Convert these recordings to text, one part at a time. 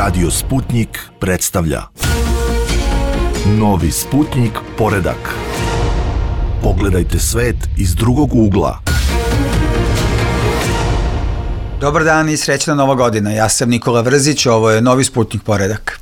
Radio Sputnik predstavlja Novi Sputnik poredak. Pogledajte svet iz drugog ugla. Dobar dan i srećna Nova godina. Ja sam Nikola Vrzić, ovo je Novi Sputnik poredak.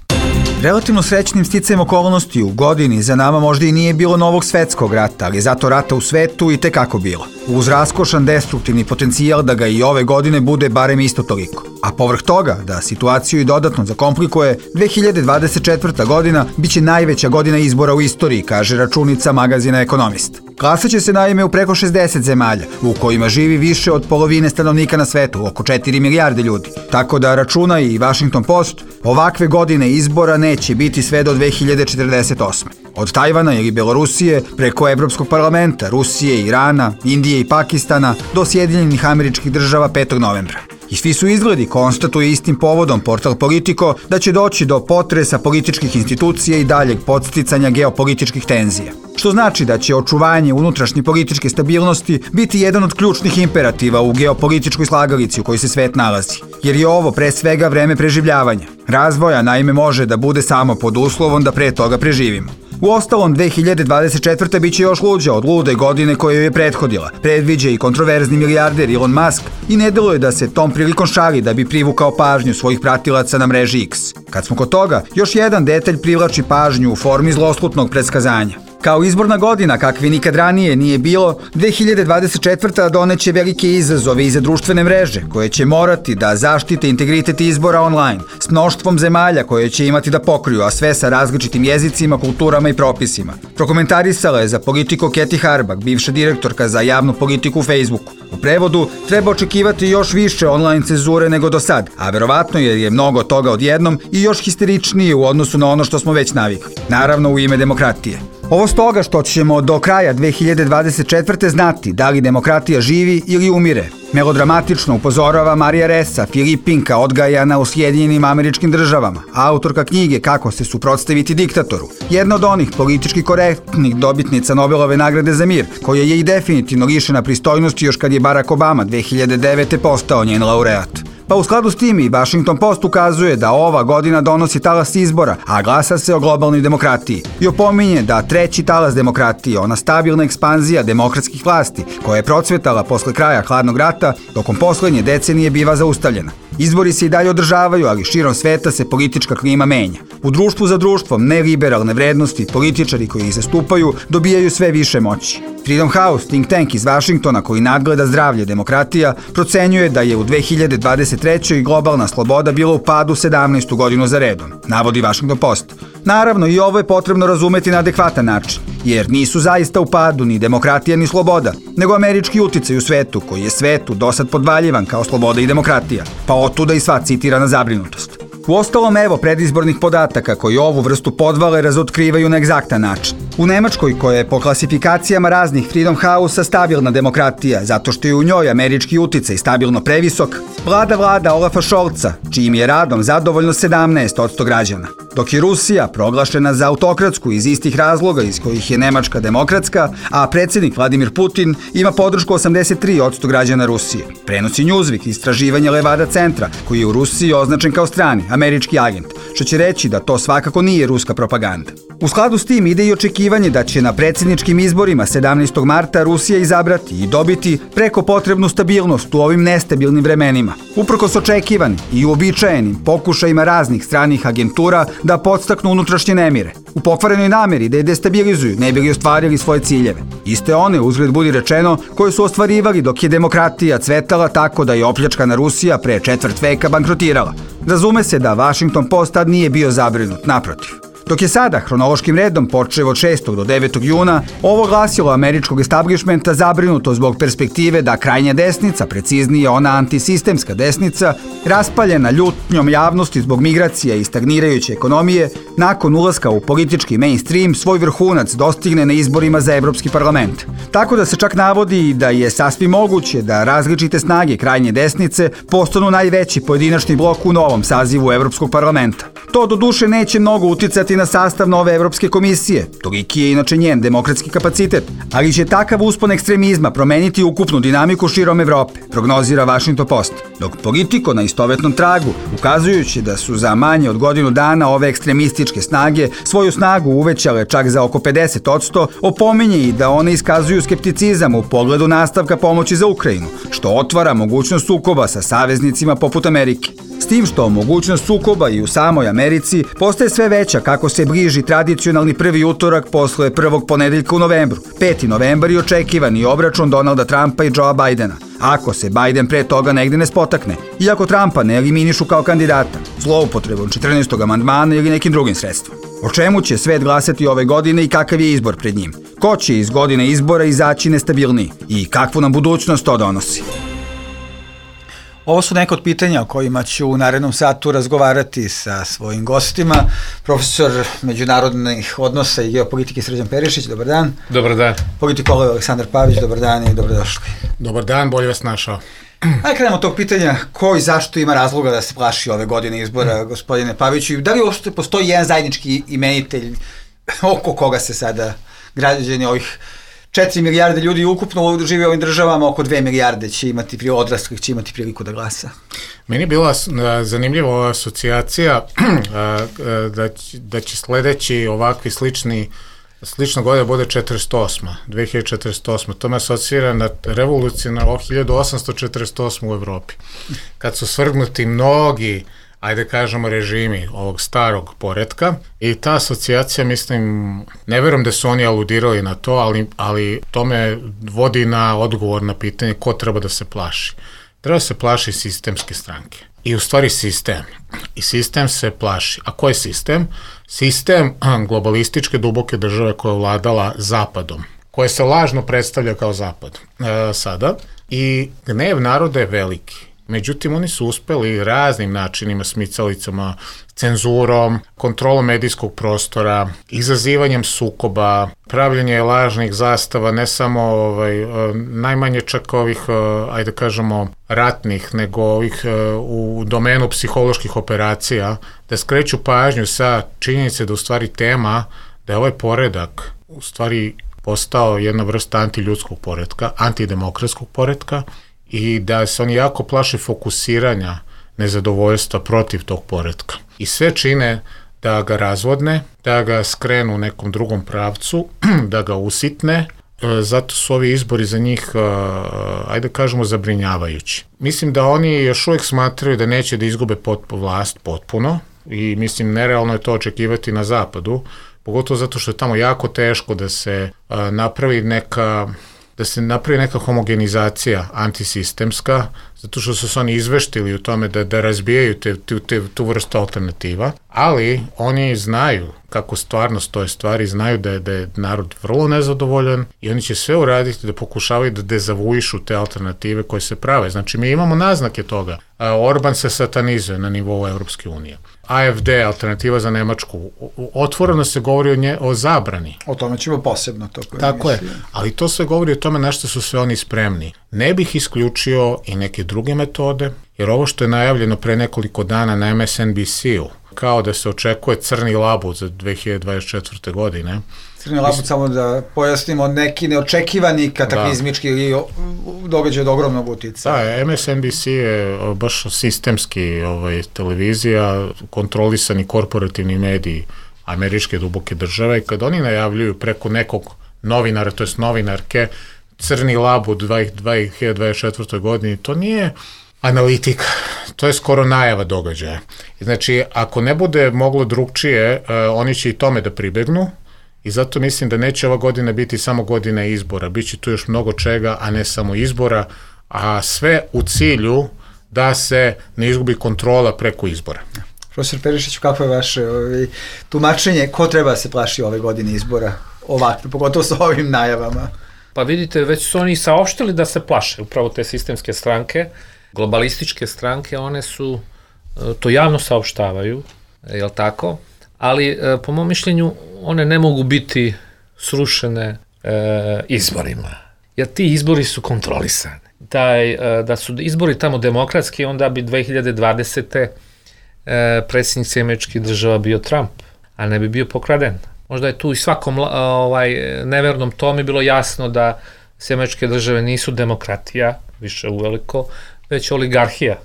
Relativno srećnim sticajem okolnosti u godini za nama možda i nije bilo novog svetskog rata, ali zato rata u svetu i tekako bilo. Uz raskošan destruktivni potencijal da ga i ove godine bude barem isto toliko. A povrh toga, da situaciju i dodatno zakomplikuje, 2024. godina biće najveća godina izbora u istoriji, kaže računica magazina Ekonomist. Glasaće se naime u preko 60 zemalja, u kojima živi više od polovine stanovnika na svetu, oko 4 milijarde ljudi. Tako da računa i Washington Post, ovakve godine izbora neće biti sve do 2048. Od Tajvana ili Belorusije, preko Evropskog parlamenta, Rusije, Irana, Indije i Pakistana, do Sjedinjenih Američkih Država 5. novembra. I svi su izgledi, konstatuje istim povodom portal Politico, da će doći do potresa političkih institucija i daljeg podsticanja geopolitičkih tenzija. Što znači da će očuvanje unutrašnje političke stabilnosti biti jedan od ključnih imperativa u geopolitičkoj slagalici u kojoj se svet nalazi. Jer je ovo pre svega vreme preživljavanja. Razvoja naime može da bude samo pod uslovom da pre toga preživimo. Uostalom, 2024. biće još luđa od lude godine koja joj je prethodila, predviđa i kontroverzni milijarder Elon Musk i ne deluje da se tom prilikom šali da bi privukao pažnju svojih pratilaca na mreži X. Kad smo kod toga, još jedan detalj privlači pažnju u formi zloslutnog predskazanja. Kao izborna godina, kakvi nikad ranije nije bilo, 2024. doneće velike izazove i za društvene mreže, koje će morati da zaštite integritet izbora online, s mnoštvom zemalja koje će imati da pokriju, a sve sa različitim jezicima, kulturama i propisima. Prokomentarisala je za Politico Keti Harbak, bivša direktorka za javnu politiku u Facebooku. U prevodu, treba očekivati još više online cenzure nego do sad, a verovatno jer je mnogo toga odjednom i još histeričnije u odnosu na ono što smo već navikli. Naravno u ime demokratije. Ovo stoga što ćemo do kraja 2024. znati da li demokratija živi ili umire. Melodramatično upozorava Marija Ressa, Filipinka odgajana u Sjedinjenim Američkim Državama, autorka knjige Kako se suprotstaviti diktatoru. Jedna od onih politički korektnih dobitnica Nobelove nagrade za mir, koja je i definitivno lišena pristojnosti još kad je Barack Obama 2009. postao njen laureat. Pa u skladu s tim i Washington Post ukazuje da ova godina donosi talas izbora, a glasa se o globalnoj demokratiji. I opominje da treći talas demokratije, ona stabilna ekspanzija demokratskih vlasti, koja je procvetala posle kraja hladnog rata, tokom poslednje decenije biva zaustavljena. Izbori se i dalje održavaju, ali širom sveta se politička klima menja. U društvu za društvom neliberalne vrednosti političari koji ih zastupaju dobijaju sve više moći. Freedom House, think tank iz Vašingtona koji nadgleda zdravlje demokratija, procenjuje da je u 2023. globalna sloboda bila u padu 17. godinu za redom, navodi Washington Post. Naravno, i ovo je potrebno razumeti na adekvatan način, jer nisu zaista u padu ni demokratija ni sloboda, nego američki uticaj u svetu, koji je svetu dosad podvaljivan kao sloboda i demokratija, pa otuda i sva citirana zabrinutost. Uostalom, evo predizbornih podataka koji ovu vrstu podvale razotkrivaju na egzaktan način. U Nemačkoj, koja je po klasifikacijama raznih Freedom House-a stabilna demokratija, zato što je u njoj američki uticaj stabilno previsok, vlada Olafa Scholza, čijim je radom zadovoljno 17% građana. Dok je Rusija proglašena za autokratsku iz istih razloga iz kojih je Nemačka demokratska, a predsjednik Vladimir Putin ima podršku 83% građana Rusije. Prenosi Newsweek istraživanje Levada centra, koji je u Rusiji označen kao strani, američki agent, što će reći da to svakako nije ruska propaganda. U skladu s tim ide i očekivanje da će na predsjedničkim izborima 17. marta Rusija izabrati i dobiti preko potrebnu stabilnost u ovim nestabilnim vremenima. Uprkos očekivanim i uobičajenim pokušajima raznih stranih agentura da podstaknu unutrašnje nemire, u pokvarenoj nameri da je destabilizuju ne bi li ostvarili svoje ciljeve. Iste one, uzgled budi rečeno, koje su ostvarivali dok je demokratija cvetala tako da je opljačkana Rusija pre četvrt veka bankrotirala. Razume se da Washington Post tad nije bio zabrinut, naprotiv. Dok je sada, hronološkim redom, počev od 6. do 9. juna, ovo glasilo američkog establishmenta zabrinuto zbog perspektive da krajnja desnica, preciznije ona antisistemska desnica, raspaljena ljutnjom javnosti zbog migracija i stagnirajuće ekonomije, nakon ulaska u politički mainstream svoj vrhunac dostigne na izborima za Evropski parlament. Tako da se čak navodi da je sasvim moguće da različite snage krajnje desnice postanu najveći pojedinačni blok u novom sazivu Evropskog parlamenta. To do duše neće mnogo uticati na sastav nove Evropske komisije, toliki je inače njen demokratski kapacitet, ali će takav uspon ekstremizma promeniti ukupnu dinamiku širom Evrope, prognozira Washington Post. Dok Politico na istovetnom tragu, ukazujući da su za manje od godinu dana ove ekstremističke snage svoju snagu uvećale čak za oko 50%, opominje i da one iskazuju skepticizam u pogledu nastavka pomoći za Ukrajinu, što otvara mogućnost sukoba sa saveznicima poput Amerike. S tim što mogućnost sukoba i u samoj Americi postaje sve veća kako se bliži tradicionalni prvi utorak posle prvog ponedeljka u novembru. 5. novembar je očekivani obračun Donalda Trumpa i Joea Bidena. Ako se Biden pre toga negde ne spotakne, iako Trumpa ne eliminišu kao kandidata, zloupotrebom 14. amandmana ili nekim drugim sredstvom. O čemu će svet glasati ove godine i kakav je izbor pred njim? Ko će iz godine izbora izaći nestabilniji? I kakvu nam budućnost to donosi? Ovo su neka od pitanja o kojima ću u narednom satu razgovarati sa svojim gostima. Profesor međunarodnih odnosa i geopolitike Srđan Perišić, dobar dan. Dobar dan. Politikolog Aleksandar Pavić, dobar dan i dobrodošli. Dobar dan, bolje vas našao. Ajde krenemo od tog pitanja ko i zašto ima razloga da se plaši ove godine izbora, gospodine Paviću. Da li uopšte postoji jedan zajednički imenitelj oko koga se sada građani ovih 4 milijarde ljudi ukupno žive u ovim državama, oko 2 milijarde će imati, odraslih će imati priliku da glasa? Meni je bila zanimljiva ova asocijacija da će sledeći ovakvi slična godina bude 2048. To me asocira na revolucionarno 1848. u Evropi. Kad su svrgnuti mnogi, ajde kažemo, režimi ovog starog poretka i ta asocijacija, mislim, ne verujem da su oni aludirali na to, ali to me vodi na odgovor na pitanje ko treba da se plaši. Treba se plaši sistemske stranke. I u stvari sistem. I sistem se plaši. A ko je sistem? Sistem globalističke duboke države koja je vladala zapadom, koja se lažno predstavlja kao zapad sada. I gnev naroda je veliki. Međutim, oni su uspeli raznim načinima, smicalicama, cenzurom, kontrolom medijskog prostora, izazivanjem sukoba, pravljenje lažnih zastava, ne samo najmanje čak ovih, ajde kažemo, ratnih, nego ovih u domenu psiholoških operacija, da skreću pažnju sa činjenice da u stvari tema, da je ovaj poredak u stvari postao jedna vrsta antiljudskog poretka, antidemokratskog poretka, i da se oni jako plaše fokusiranja nezadovoljstva protiv tog poretka. I sve čine da ga razvodne, da ga skrenu u nekom drugom pravcu, da ga usitne, zato su ovi izbori za njih, ajde kažemo, zabrinjavajući. Mislim da oni još uvijek smatraju da neće da izgube vlast potpuno i mislim nerealno je to očekivati na zapadu, pogotovo zato što je tamo jako teško da se napravi neka homogenizacija antisistemska, zato što su se oni izveštili u tome da razbijaju tu vrstu alternativa, ali oni znaju kako stvarno stoje stvari, znaju da je narod vrlo nezadovoljan i oni će sve uraditi da pokušavaju da dezavuišu te alternative koje se prave. Znači, mi imamo naznake toga. Orban se satanizuje na nivou Evropske unije. AFD, alternativa za Nemačku, otvoreno se govori o zabrani. O tome ćemo posebno to. Tako je, ali to sve govori o tome na što su sve oni spremni. Ne bih isključio i neke druge metode, jer ovo što je najavljeno pre nekoliko dana na MSNBC-u, kao da se očekuje crni labud za 2024. godine. Crni labud, samo da pojasnimo, neki neočekivani kataklizmički ili događaj od ogromnog uticaja. Da, MSNBC je baš sistemski televizija, kontrolisani korporativni mediji američke duboke države i kad oni najavljuju preko nekog novinara, to jest novinarke, crni labud 2024. godini, to nije analitika, to je skoro najava događaja. Znači, ako ne bude moglo drugčije, oni će i tome da pribegnu i zato mislim da neće ova godina biti samo godina izbora, bit će tu još mnogo čega, a ne samo izbora, a sve u cilju da se ne izgubi kontrola preko izbora. Profesor Perišić, kako je vaše tumačenje, ko treba da se plaši ove godine izbora ovakve, pogotovo sa ovim najavama? Pa vidite, već su oni saopštili da se plaše, upravo te sistemske stranke, globalističke stranke, one su, to javno saopštavaju, jel tako? Ali po mom mišljenju one ne mogu biti srušene izborima, jer ti izbori su kontrolisani. Da su izbori tamo demokratski, onda bi 2020. predsjednik Američkih država bio Trump, a ne bi bio pokraden. Možda je tu i svakom nevernom tome bilo jasno da Američke države nisu demokratija, više uveliko, već oligarhija,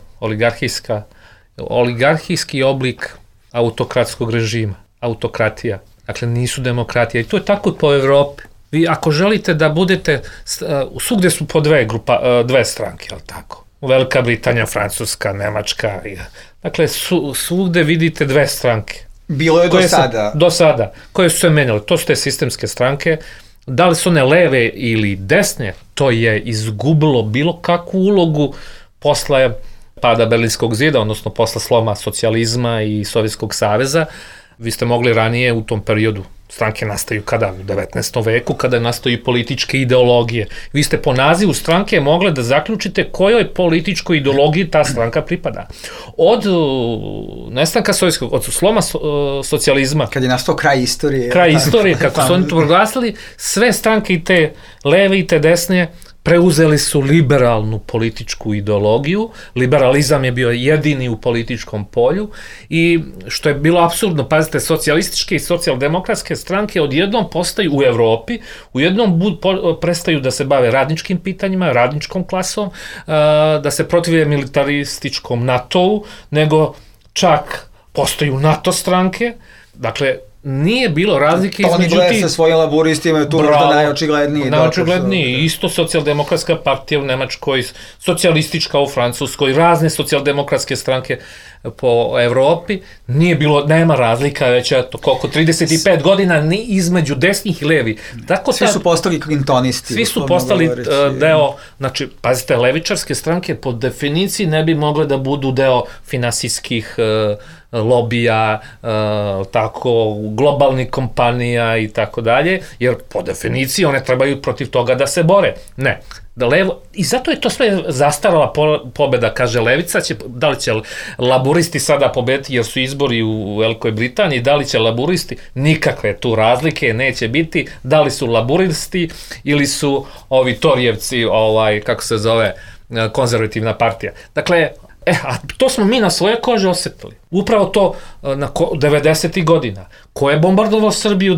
oligarhijski oblik autokratskog režima, autokratija. Dakle, nisu demokratija i to je tako po Evropi. Vi ako želite da budete, svugde su po dve stranke, ali tako? Velika Britanija, Francuska, Nemačka, dakle, svugde vidite dve stranke. Bilo je do sada. Koje su se menjale, to su te sistemske stranke. Da li su one leve ili desne, to je izgubilo bilo kakvu ulogu posle pada Berlinskog zida, odnosno posle sloma socijalizma i Sovjetskog saveza. Vi ste mogli ranije u tom periodu, stranke nastaju kada? U 19. veku, kada nastaju političke ideologije. Vi ste po nazivu stranke mogli da zaključite kojoj političkoj ideologiji ta stranka pripada. Od nestanka sovjetskog, od sloma socijalizma. Kad je nastao kraj istorije. Kako su oni to proglasili, sve stranke i te leve i te desne preuzeli su liberalnu političku ideologiju, liberalizam je bio jedini u političkom polju i što je bilo apsurdno, pazite, socijalističke i socijaldemokratske stranke odjednom postaju u Evropi, ujednom prestaju da se bave radničkim pitanjima, radničkom klasom, da se protive militarističkom NATO-u, nego čak postaju NATO stranke, dakle, nije bilo razlike između tih... Tony Blair sa svojim laburistima je tu možda najočigledniji. Najočigledniji, isto socijaldemokratska partija u Nemačkoj, socijalistička u Francuskoj, razne socijaldemokratske stranke po Evropi, nema razlika već koliko 35 godina ni između desnih i levi. Svi su postali klintonisti. Svi su postali deo, znači, pazite, levičarske stranke po definiciji ne bi mogle da budu deo finansijskih lobija, tako, globalnih kompanija i tako dalje, jer po definiciji one trebaju protiv toga da se bore. Ne. I zato je to sve zastarala pobeda, kaže levica, da li će laburisti sada pobediti jer su izbori u Velikoj Britaniji, da li će laburisti, nikakve tu razlike neće biti, da li su laburisti ili su ovi Torijevci, kako se zove, konzervativna partija. Dakle, a to smo mi na svoje kože osetili. Upravo to na 90. godina. Ko je bombardovao Srbiju,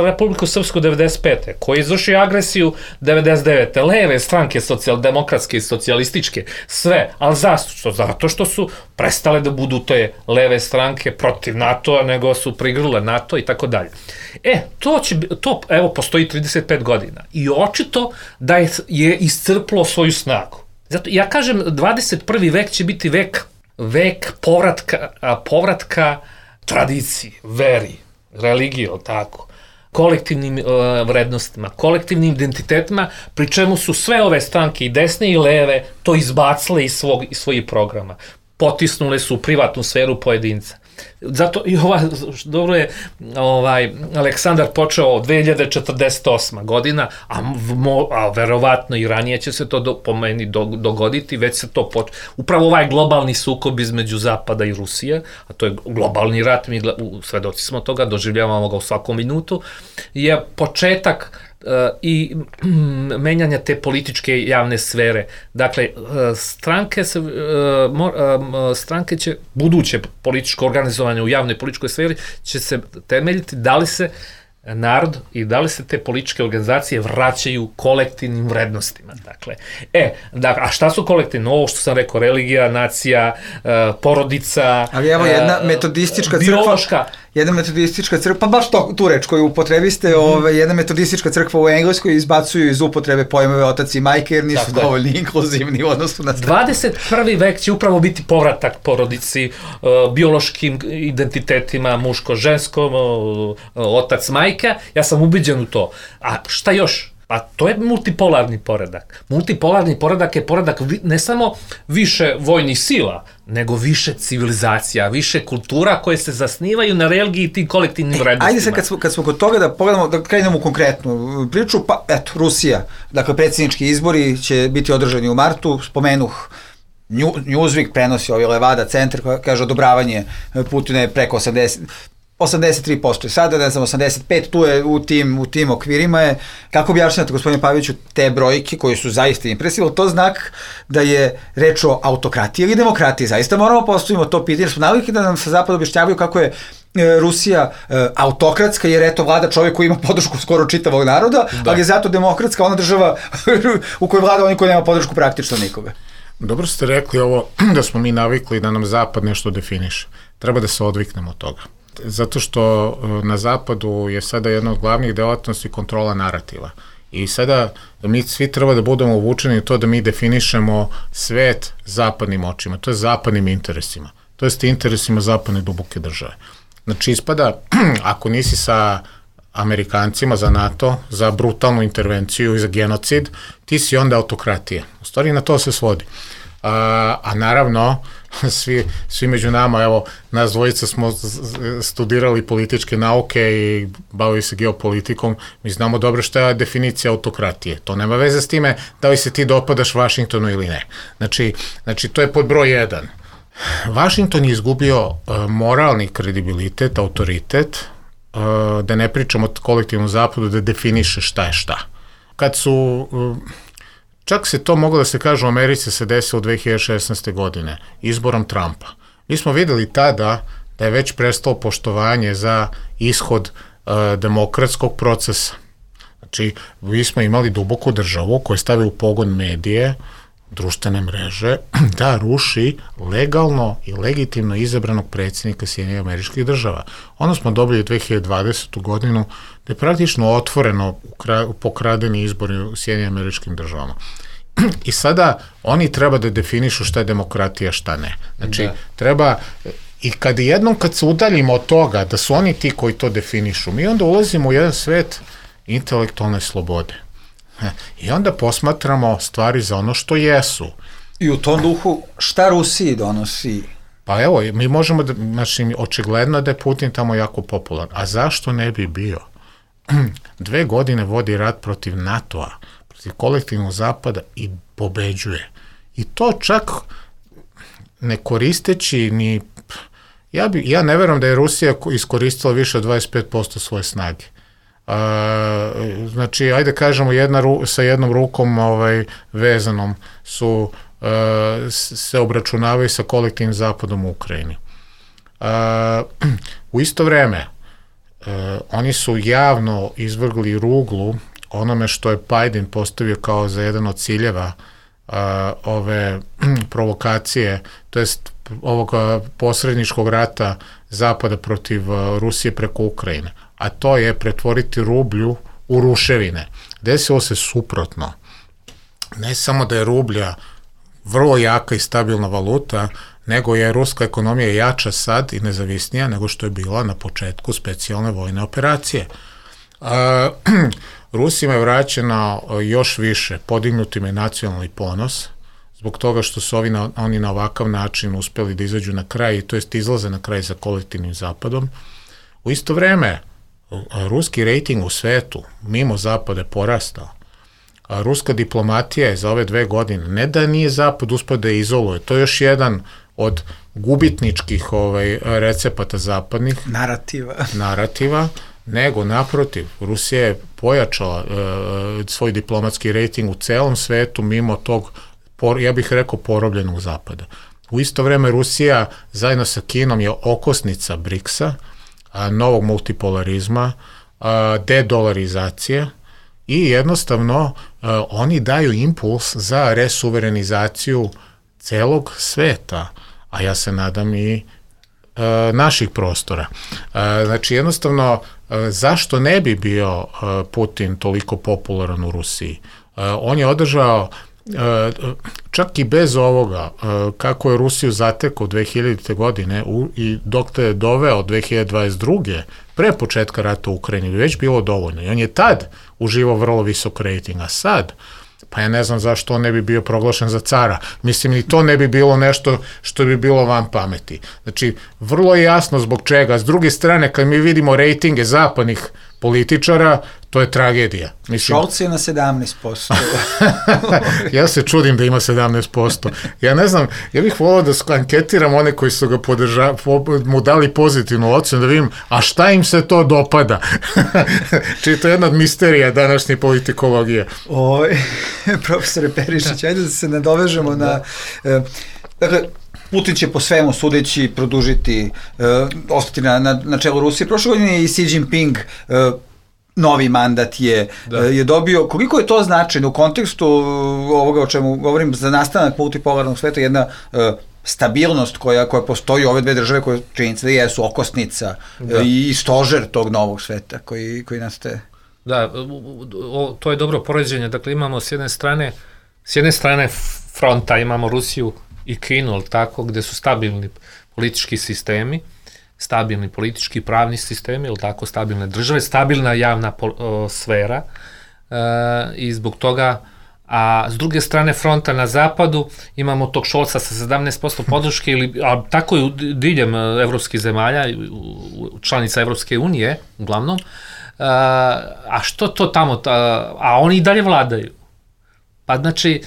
Republiku Srpsku 95. Ko je izvršio agresiju 99. Leve stranke, socijaldemokratske i socijalističke, sve. Ali zašto? Zato što su prestale da budu te leve stranke protiv NATO-a, nego su prigrle NATO i tako dalje. To evo postoji 35 godina. I očito da je iscrplo svoju snagu. Zato ja kažem, 21. vek će biti vek povratka tradiciji, veri, religiji, tako, kolektivnim vrednostima, kolektivnim identitetima, pri čemu su sve ove stranke i desne i leve to izbacile iz svojih programa. Potisnule su u privatnu sferu pojedinca. Zato i dobro je Aleksandar počeo 2048. godina, a verovatno i ranije će se to po meni dogoditi, već se to upravo ovaj globalni sukob između Zapada i Rusije, a to je globalni rat, mi svedoci smo toga, doživljavamo ga u svakom minutu, je početak i menjanja te političke javne sfere. Dakle, stranke će, buduće političko organizovanje u javnoj političkoj sferi će se temeljiti da li se narod i da li se te političke organizacije vraćaju kolektivnim vrednostima. Dakle, a šta su kolektivne? Ovo što sam rekao, religija, nacija, porodica, ali evo jedna metodistička crkva, pa baš tu reč koju upotrebiste, jedna metodistička crkva u Engleskoj izbacuju iz upotrebe pojmove otac i majke jer nisu dovoljno inkluzivni u odnosu na stranu. 21. vek će upravo biti povratak porodici, biološkim identitetima, muško-žensko, otac, majka, ja sam ubeđen u to. A šta još? Pa to je multipolarni poredak. Multipolarni poredak je poredak ne samo više vojnih sila, nego više civilizacija, više kultura koje se zasnivaju na religiji i tim kolektivnim vrednostima. Ajde se kad smo kod toga da pogledamo, da krenemo u konkretnu priču, pa eto, Rusija. Dakle, predsjednički izbori će biti održani u martu, spomenuh Newsweek prenosi Levada centar, kaže odobravanje Putina je preko 80%. 83%, sada ne znam 85%, tu je u tim okvirima je. Kako objašnjate, gospodine Paviću, te brojke koje su zaista impresivne, to znak da je reč o autokratiji ili demokratiji? Zaista moramo postavimo to pitanje, jer smo navikli da nam sa zapada objašnjavaju kako je Rusija autokratska, jer eto vlada čovjek koji ima podršku skoro čitavog naroda, ali je zato demokratska ona država u kojoj vlada oni koji nema podršku praktično nikoga. Dobro ste rekli ovo da smo mi navikli da nam zapad nešto definiše. Treba da se odviknemo od toga. Zato što na zapadu je sada jedna od glavnih delatnosti kontrola narativa. I sada mi svi treba da budemo uvučeni u to da mi definišemo svet zapadnim očima, to je zapadnim interesima, to je interesima zapadne duboke države. Znači ispada, ako nisi sa Amerikancima, za NATO, za brutalnu intervenciju i za genocid, ti si onda autokratija. U stvari na to se svodi. A naravno, svi među nama, evo, nas dvojica smo studirali političke nauke i bavili se geopolitikom, mi znamo dobro šta je definicija autokratije. To nema veze s time da li se ti dopadaš Vašingtonu ili ne. Znači to je pod broj 1. Vašington je izgubio moralni kredibilitet, autoritet, da ne pričamo o kolektivnom zapadu, da definiše šta je šta. Kad su... Čak se to moglo da se kaže u Americi se desilo 2016. godine, izborom Trumpa. Mi smo videli tada da je već prestalo poštovanje za ishod demokratskog procesa. Znači, mi smo imali duboku državu koja stavi u pogon medije, društvene mreže, da ruši legalno i legitimno izabranog predsjednika Sjedinjenih Američkih Država. Ono smo dobili 2020. godinu da je praktično otvoreno pokradeni izbori u Sjedinjenim Američkim Državama. I sada oni treba da definišu šta je demokratija, šta ne. Znači, treba, i kad se udaljimo od toga da su oni ti koji to definišu, mi onda ulazimo u jedan svet intelektualne slobode. I onda posmatramo stvari za ono što jesu. I u tom duhu, šta Rusiji donosi? Pa evo, mi možemo da, znači, očigledno da je Putin tamo jako popularan. A zašto ne bi bio? 2 godine vodi rat protiv NATO-a, protiv kolektivnog zapada i pobeđuje. I to čak ne koristeći ni... Ja ne verujem da je Rusija iskoristila više od 25% svoje snage. Znači, ajde kažemo, sa jednom rukom vezanom su se obračunavaju sa kolektivnim zapadom u Ukrajini. U isto vreme, oni su javno izvrgli ruglu onome što je Biden postavio kao za jedan od ciljeva ove provokacije, to jest ovog posredničkog rata Zapada protiv Rusije preko Ukrajine, a to je pretvoriti rublju u ruševine. Desilo se suprotno. Ne samo da je rublja vrlo jaka i stabilna valuta, nego je ruska ekonomija jača sad i nezavisnija nego što je bila na početku specijalne vojne operacije. Rusima je vraćeno još više, podignutim je nacionalni ponos, zbog toga što su oni na ovakav način uspeli da izađu na kraj, to jest izlaze na kraj sa kolektivnim zapadom. U isto vreme, ruski rejting u svetu, mimo zapada, je porastao. Ruska diplomatija je za ove 2 godine, ne da nije zapad uspeo da je izoluje, to je još jedan od gubitničkih recepata zapadnih narativa, nego naprotiv, Rusija je pojačala svoj diplomatski rejting u celom svetu mimo tog, ja bih rekao, porobljenog zapada. U isto vreme Rusija zajedno sa Kinom je okosnica BRICS-a, novog multipolarizma, dedolarizacije i jednostavno oni daju impuls za resuverenizaciju celog sveta, a ja se nadam i naših prostora. Znači jednostavno, zašto ne bi bio Putin toliko popularan u Rusiji? On je održao, čak i bez ovoga, kako je Rusiju zatekao 2000. godine i dok je doveo 2022. pre početka rata u Ukrajini, već bilo dovoljno. I on je tad uživao vrlo visok rejting, a sad, pa ja ne znam zašto on ne bi bio proglašen za cara. Mislim, i to ne bi bilo nešto što bi bilo van pameti. Znači, vrlo je jasno zbog čega. S druge strane, kad mi vidimo rejtinge zapadnih političara, to je tragedija. Šolc je na 17%. Ja se čudim da ima 17%. Ja ne znam, ja bih volao da anketiram one koji su ga mu dali pozitivnu ocenu, da vidim, a šta im se to dopada? Čiji to je jedna od misterija današnje politikologije. Profesore Perišić, ajde da se nadovežemo na... Dakle, Putin će po svemu sudeći produžiti, ostati na čelu Rusije. Prošle godine je i Xi Jinping novi mandat je dobio. Koliko je to značajno u kontekstu ovoga o čemu govorim za nastanak multipolarnog sveta, jedna stabilnost koja postoji u ove dve države koje činjenica da jesu okosnica i stožer tog novog sveta koji nastaje? Da, to je dobro poređenje. Dakle, imamo s jedne strane fronta, imamo Rusiju i Kinu, tako, gde su stabilni politički sistemi, stabilni politički pravni sistemi, tako, stabilne države, stabilna javna sfera i zbog toga, a s druge strane fronta na zapadu imamo tog Šolca sa 17% podrške, a tako je diljem evropskih zemalja, članica Evropske unije, uglavnom, a što to tamo, a oni i dalje vladaju. Pa znači,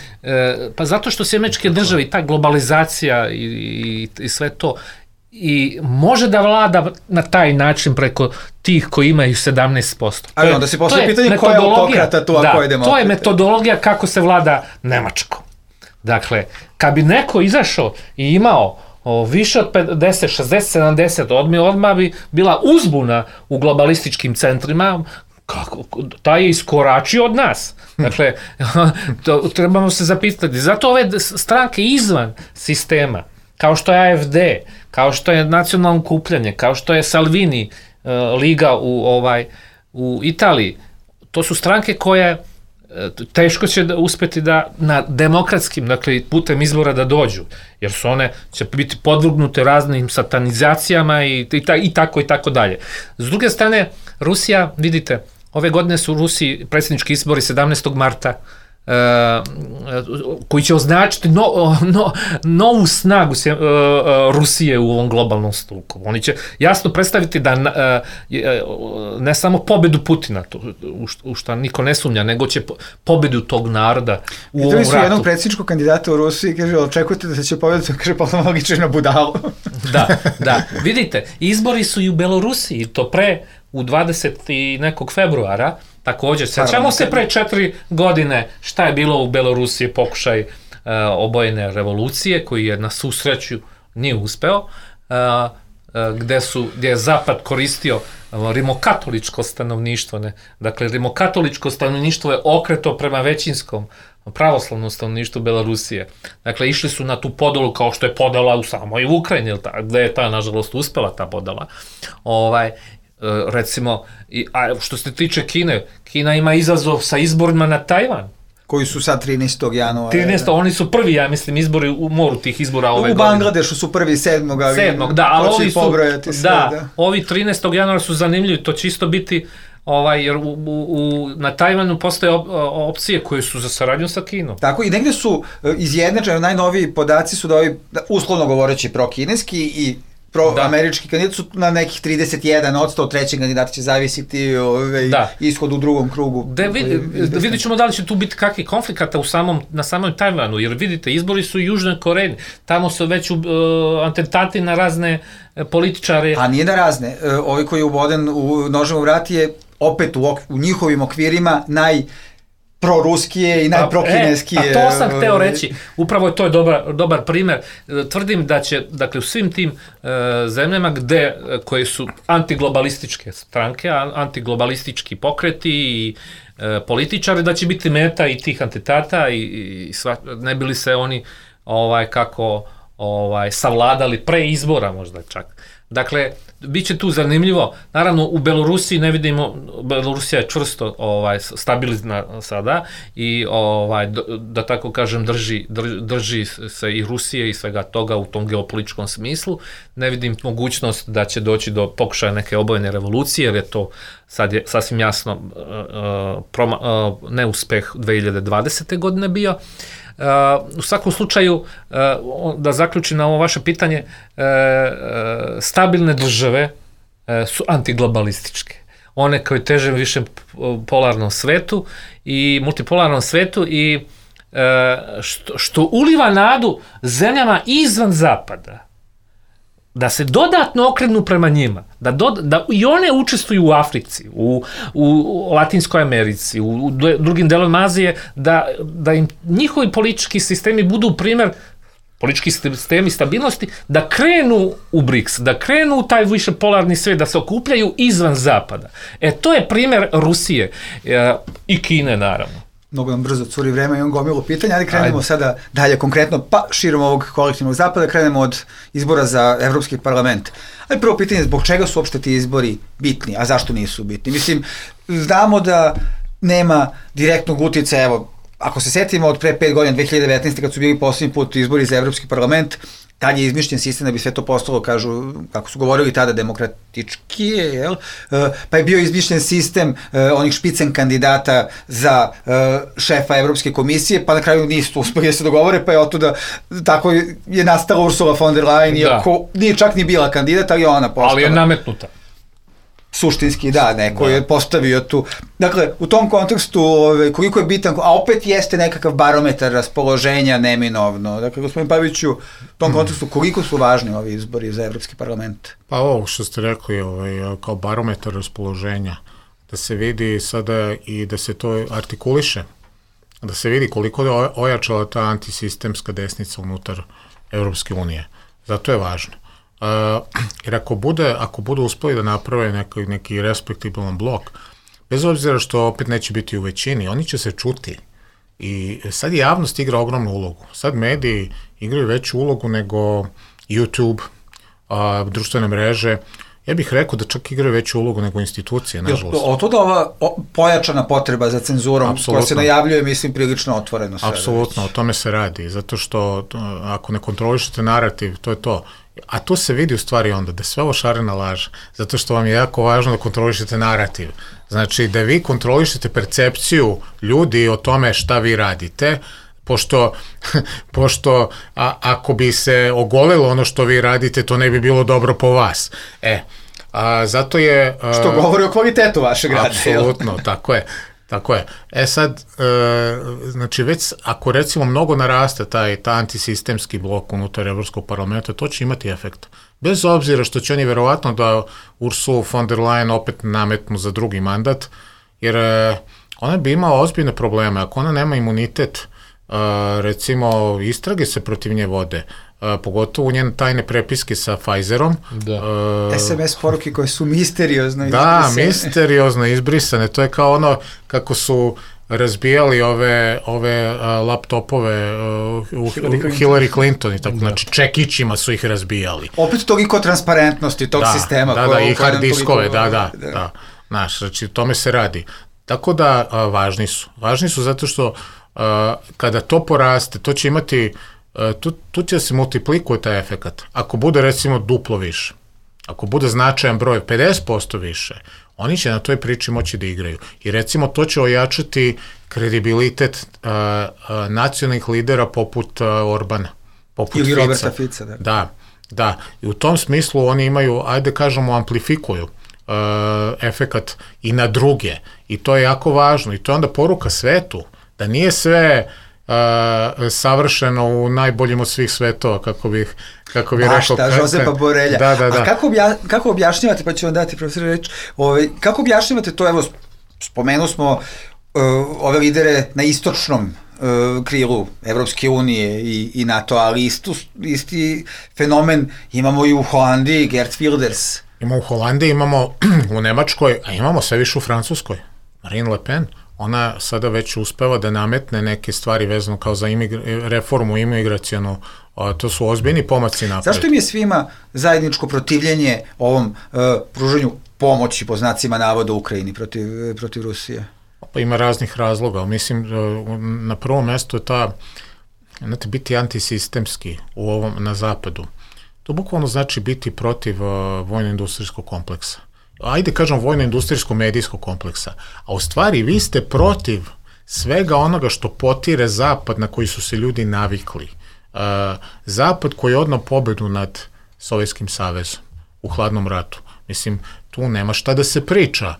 pa zato što se američke države i ta globalizacija i sve to i može da vlada na taj način preko tih koji imaju 17%. Ali onda se postoji pitanje ko je autokrata tu, a ko je demokrata. To je metodologija kako se vlada Nemačkom. Dakle, kad bi neko izašao i imao više od 50, 60, 70, odmah bi bila uzbuna u globalističkim centrima, taj je iskoračio od nas. Dakle, trebamo se zapitati. Zato ove stranke izvan sistema, kao što je AFD, kao što je nacionalno okupljanje, kao što je Salvini liga u Italiji, to su stranke koje teško će uspeti da na demokratskim, dakle, putem izbora da dođu, jer su one će biti podvrgnute raznim satanizacijama i tako dalje. S druge strane, Rusija, vidite, ove godine su u Rusiji predsjednički izbori 17. marta, koji će označiti novu snagu Rusije u ovom globalnom sukobu. Oni će jasno predstaviti da ne samo pobedu Putina, u što niko ne sumnja, nego će pobedu tog naroda u ovom ratu. Videli su jednog predsjedničkog kandidata u Rusiji, kaže, očekujete da će pobediti, kaže, pa malo liči na budalu. Da. Vidite, izbori su i u Belorusiji, to u 20. i nekog februara, također, sećamo se pre 4 godine šta je bilo u Belorusiji, pokušaj obojene revolucije, koji je na svu sreću nije uspeo, gde je Zapad koristio rimokatoličko stanovništvo. Dakle, rimokatoličko stanovništvo je okreto prema većinskom pravoslavnom stanovništvu Belorusije. Dakle, išli su na tu podelu kao što je podela u samoj Ukrajini, gde je ta, nažalost, uspela ta podela. Recimo, a što se tiče Kine, Kina ima izazov sa izborima na Tajvan. Koji su sad 13. januara. Oni su prvi, ja mislim, izbori u moru tih izbora ove godine. U Bangladešu su prvi 7. Da, ali ovi su, ovi 13. januara su zanimljivi, to će isto biti, jer na Tajvanu postoje opcije koje su za saradnju sa Kinom. Tako, i negde su izjednačeni, najnoviji podaci su da ovi, uslovno govoreći, prokineski i proamerički kandidat su na nekih 31%, od trećeg kandidata će zavisiti ishod u drugom krugu. Vidjet ćemo da li će tu biti kakvih konflikata na samom Tajvanu, jer vidite, izbori su u Južnoj Koreji, tamo su već atentati na razne političare. A nije na razne, ovi koji je uboden u nožem u vrat je opet u njihovim okvirima proruskije i najprokineskije. To sam hteo reći. Upravo to je dobar primer. Tvrdim da će, dakle, u svim tim zemljama koje su antiglobalističke stranke, antiglobalistički pokreti i političari, da će biti meta i tih atentata i ne bili se oni savladali pre izbora možda čak. Dakle, bit će tu zanimljivo. Naravno, u Belorusiji ne vidimo, Belorusija je čvrsto stabilna sada i da tako kažem drži se i Rusije i svega toga u tom geopolitičkom smislu. Ne vidim mogućnost da će doći do pokušaja neke obojene revolucije, jer je to sad je sasvim jasno neuspeh 2020. godine bio. U svakom slučaju, da zaključim na ovo vaše pitanje, stabilne države su antiglobalističke. one koji teže više polarnom svetu i multipolarnom svetu i što uliva nadu zemljama izvan zapada, da se dodatno okrenu prema njima, da i one učestvuju u Africi, u Latinskoj Americi, u drugim delovima Azije, da im njihovi politički sistemi budu primjer, politički sistemi stabilnosti, da krenu u BRICS, da krenu u taj više polarni svet, da se okupljaju izvan zapada. To je primjer Rusije i Kine, naravno. Mnogo nam brzo curi vreme, imam gomilu pitanja, ali krenemo sada dalje konkretno, pa širom ovog kolektivnog zapada, krenemo od izbora za Evropski parlament. Ali prvo pitanje, zbog čega su uopšte ti izbori bitni, a zašto nisu bitni? Mislim, znamo da nema direktnog utjecaja, evo, ako se setimo od pre 5 godina, 2019. kad su bili posljednji put izbori za Evropski parlament, tad je izmišljen sistem da bi sve to postalo, kažu, kako su govorili tada, demokratički, jel? Pa je bio izmišljen sistem onih špicen kandidata za šefa Evropske komisije, pa na kraju nisu uspeli da se dogovore, pa je otuda, tako je nastala Ursula von der Leyen, iako nije čak ni bila kandidat, ali ona postala. Ali je nametnuta. Suštinski, da, neko je postavio tu. Dakle, u tom kontekstu, koliko je bitan, a opet jeste nekakav barometar raspoloženja neminovno. Dakle, gospodin Paviću, u tom kontekstu, koliko su važni ovi izbori za Evropski parlament? Pa ovo što ste rekli, kao barometar raspoloženja, da se vidi sada i da se to artikuliše, da se vidi koliko je ojačala ta antisistemska desnica unutar Evropske unije. Zato je važno. Jer ako budu uspeli da naprave neki respektibilan blok, bez obzira što opet neće biti u većini, oni će se čuti. I sad javnost igra ogromnu ulogu. Sad mediji igraju veću ulogu nego YouTube, društvene mreže. Ja bih rekao da čak igraju veću ulogu nego institucije, nažalost. Od toga ova pojačana potreba za cenzurom koja se najavljuje, mislim, prilično otvoreno sve. Apsolutno, o tome se radi. Zato što ako ne kontrolišete narativ, to je to. A to se vidi u stvari onda, da sve ovo šarena laž, zato što vam je jako važno da kontrolišete narativ. Znači, da vi kontrolišete percepciju ljudi o tome šta vi radite, pošto ako bi se ogolilo ono što vi radite, to ne bi bilo dobro po vas. Zato je... Što govori o kvalitetu vašeg rada. Apsolutno, tako je. Sad, znači već ako recimo mnogo naraste taj antisistemski blok unutar Evropskog parlamenta, to će imati efekt. Bez obzira što će oni verovatno da Ursulu von der Leyen opet nametnu za drugi mandat, jer ona bi imala ozbiljne probleme. Ako ona nema imunitet, recimo istrage se protiv nje vode, pogotovo njene tajne prepiske sa Pfizerom. SMS poruke koje su misteriozno izbrisane. Da, misteriozno izbrisane. To je kao ono kako su razbijali ove laptopove Hillary Clinton i tako, znači čekićima su ih razbijali. Opet toliko transparentnosti tog sistema. Da, i hard diskove, da. Znaš, znači tome se radi. Tako da važni su. Važni su zato što kada to poraste, to će imati, tu će se multiplikuje taj efekat. Ako bude recimo duplo više, ako bude značajan broj 50% više, oni će na toj priči moći da igraju. I recimo to će ojačati kredibilitet nacionalnih lidera poput Orbana, poput ili Fica. Roberta Fica. Da. I u tom smislu oni imaju, ajde kažemo, amplifikuju efekat i na druge. I to je jako važno. I to je onda poruka svetu, da nije sve savršeno u najboljim od svih svetova, kako bih rekao. Bašta, Žozepa Borelja. Da. A kako objašnjavate, pa ću vam dati profesor reč, kako objašnjavate to, evo, spomenuli smo ove lidere na istočnom krilu Evropske unije i NATO, ali isti fenomen imamo i u Holandiji, Geert Wilders. Imamo u Holandiji, imamo u Nemačkoj, a imamo sve više u Francuskoj. Marine Le Pen. Ona sada već uspeva da nametne neke stvari vezano kao za reformu imigracionu, to su ozbiljni pomaci napred. Zašto im je svima zajedničko protivljenje ovom pružanju pomoći, po znacima navoda, Ukrajini protiv Rusije? Pa ima raznih razloga, mislim, na prvom mestu je ta, znate, biti antisistemski na zapadu. To bukvalno znači biti protiv vojno-industrijskog kompleksa. Ajde kažem vojno-industrijsko-medijskog kompleksa, a u stvari vi ste protiv svega onoga što potire Zapad na koji su se ljudi navikli. Zapad koji je odneo pobedu nad Sovjetskim savezom u hladnom ratu. Mislim, tu nema šta da se priča.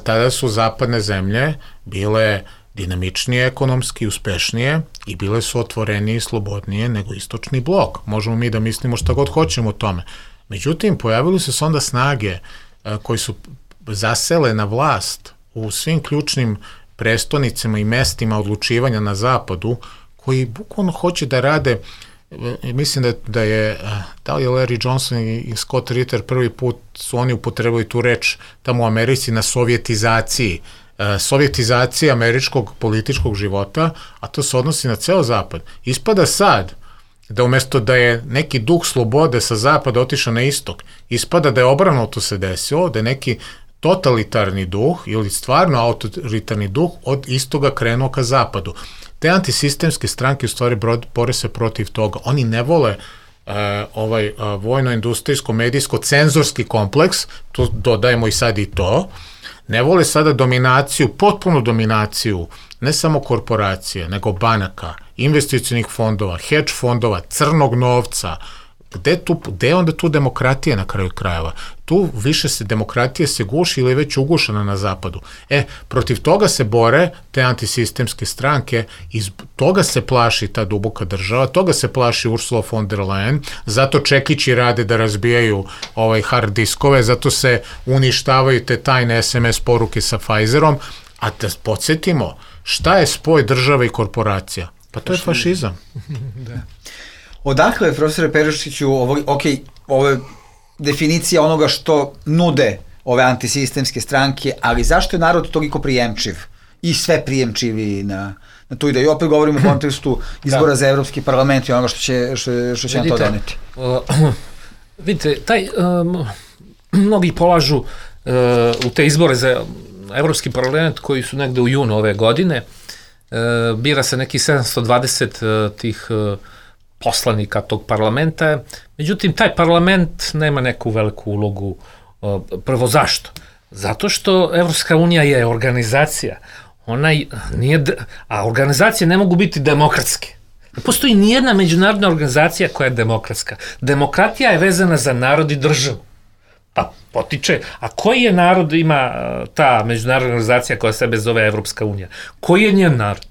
tada su zapadne zemlje bile dinamičnije ekonomski, uspešnije i bile su otvorenije i slobodnije nego istočni blok. Možemo mi da mislimo šta god hoćemo o tome. Međutim, pojavili su se onda snage koji su zasele na vlast u svim ključnim prestonicama i mestima odlučivanja na zapadu, koji bukvalno hoće da rade, mislim da je Larry Johnson i Scott Ritter prvi put su oni upotrebili tu reč tamo u Americi na sovjetizaciji američkog političkog života, a to se odnosi na ceo zapad. Ispada sad da umesto da je neki duh slobode sa zapada otišao na istok, ispada da je obrnuto se desilo, da je neki totalitarni duh ili stvarno autoritarni duh od istoga krenuo ka zapadu. Te antisistemske stranke u stvari bore se protiv toga. Oni ne vole vojno-industrijsko-medijsko-cenzorski kompleks, tu dodajemo i sad i to, ne vole sada dominaciju, potpunu dominaciju, ne samo korporacije, nego banaka, investicionih fondova, hedge fondova, crnog novca. Gde je onda tu demokratija na kraju krajeva? Tu više demokratija se guši ili je već ugušena na zapadu. Protiv toga se bore te antisistemske stranke, iz toga se plaši ta duboka država, toga se plaši Ursula von der Leyen, zato čekići rade da razbijaju hard diskove, zato se uništavaju te tajne SMS poruke sa Pfizerom, a da podsjetimo, šta je spoj države i korporacija? Pa to je fašizam. Da. Odakle, profesore Perušiću, ovo je definicija onoga što nude ove antisistemske stranke, ali zašto je narod toliko prijemčiv i sve prijemčivi na tu ideju? Opet govorimo u kontekstu izbora za Evropski parlament i onoga što će nam to doneti. Vidite, mnogi polažu u te izbore za Evropski parlament koji su negde u junu ove godine, bira se neki 720 tih poslanika tog parlamenta, međutim taj parlament nema neku veliku ulogu. Prvo zašto? Zato što Evropska unija je organizacija, a organizacije ne mogu biti demokratske. Ne postoji nijedna međunarodna organizacija koja je demokratska. Demokratija je vezana za narod i državu. Pa potiče, a koji je narod ima ta međunarodna organizacija koja sebe zove Evropska unija? Koji je njen narod?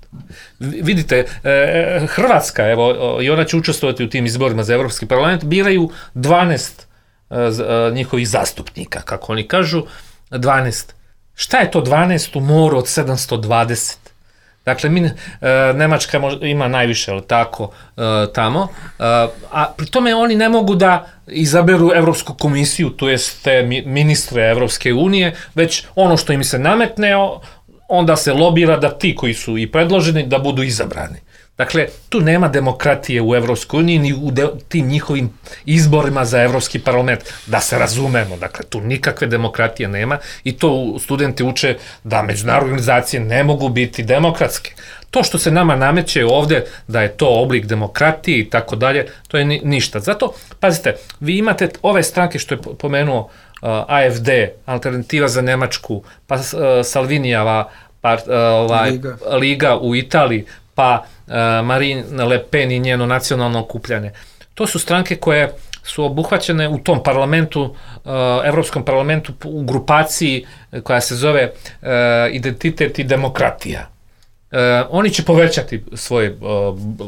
Vidite, Hrvatska, evo, i ona će učestvovati u tim izborima za Evropski parlament, biraju 12 njihovih zastupnika, kako oni kažu, 12. Šta je to 12 u moru od 720? Dakle, Nemačka ima najviše, ali tako, tamo, a pri tome oni ne mogu da izaberu Evropsku komisiju, to jest te ministre Evropske unije, već ono što im se nametne, onda se lobira da ti koji su i predloženi da budu izabrani. Dakle, tu nema demokratije u Evropskoj uniji ni u tim njihovim izborima za Evropski parlament. Da se razumemo, dakle, tu nikakve demokratije nema i to studenti uče da međunarodne organizacije ne mogu biti demokratske. To što se nama nameće ovde da je to oblik demokratije i tako dalje, to je ništa. Zato, pazite, vi imate ove stranke što je pomenuo AFD, Alternativa za Nemačku, pa Salvinijeva Liga u Italiji, pa Marine Le Pen i njeno nacionalno okupljanje. To su stranke koje su obuhvaćene u tom parlamentu, Evropskom parlamentu, u grupaciji koja se zove Identitet i demokratija. Oni će povećati svoj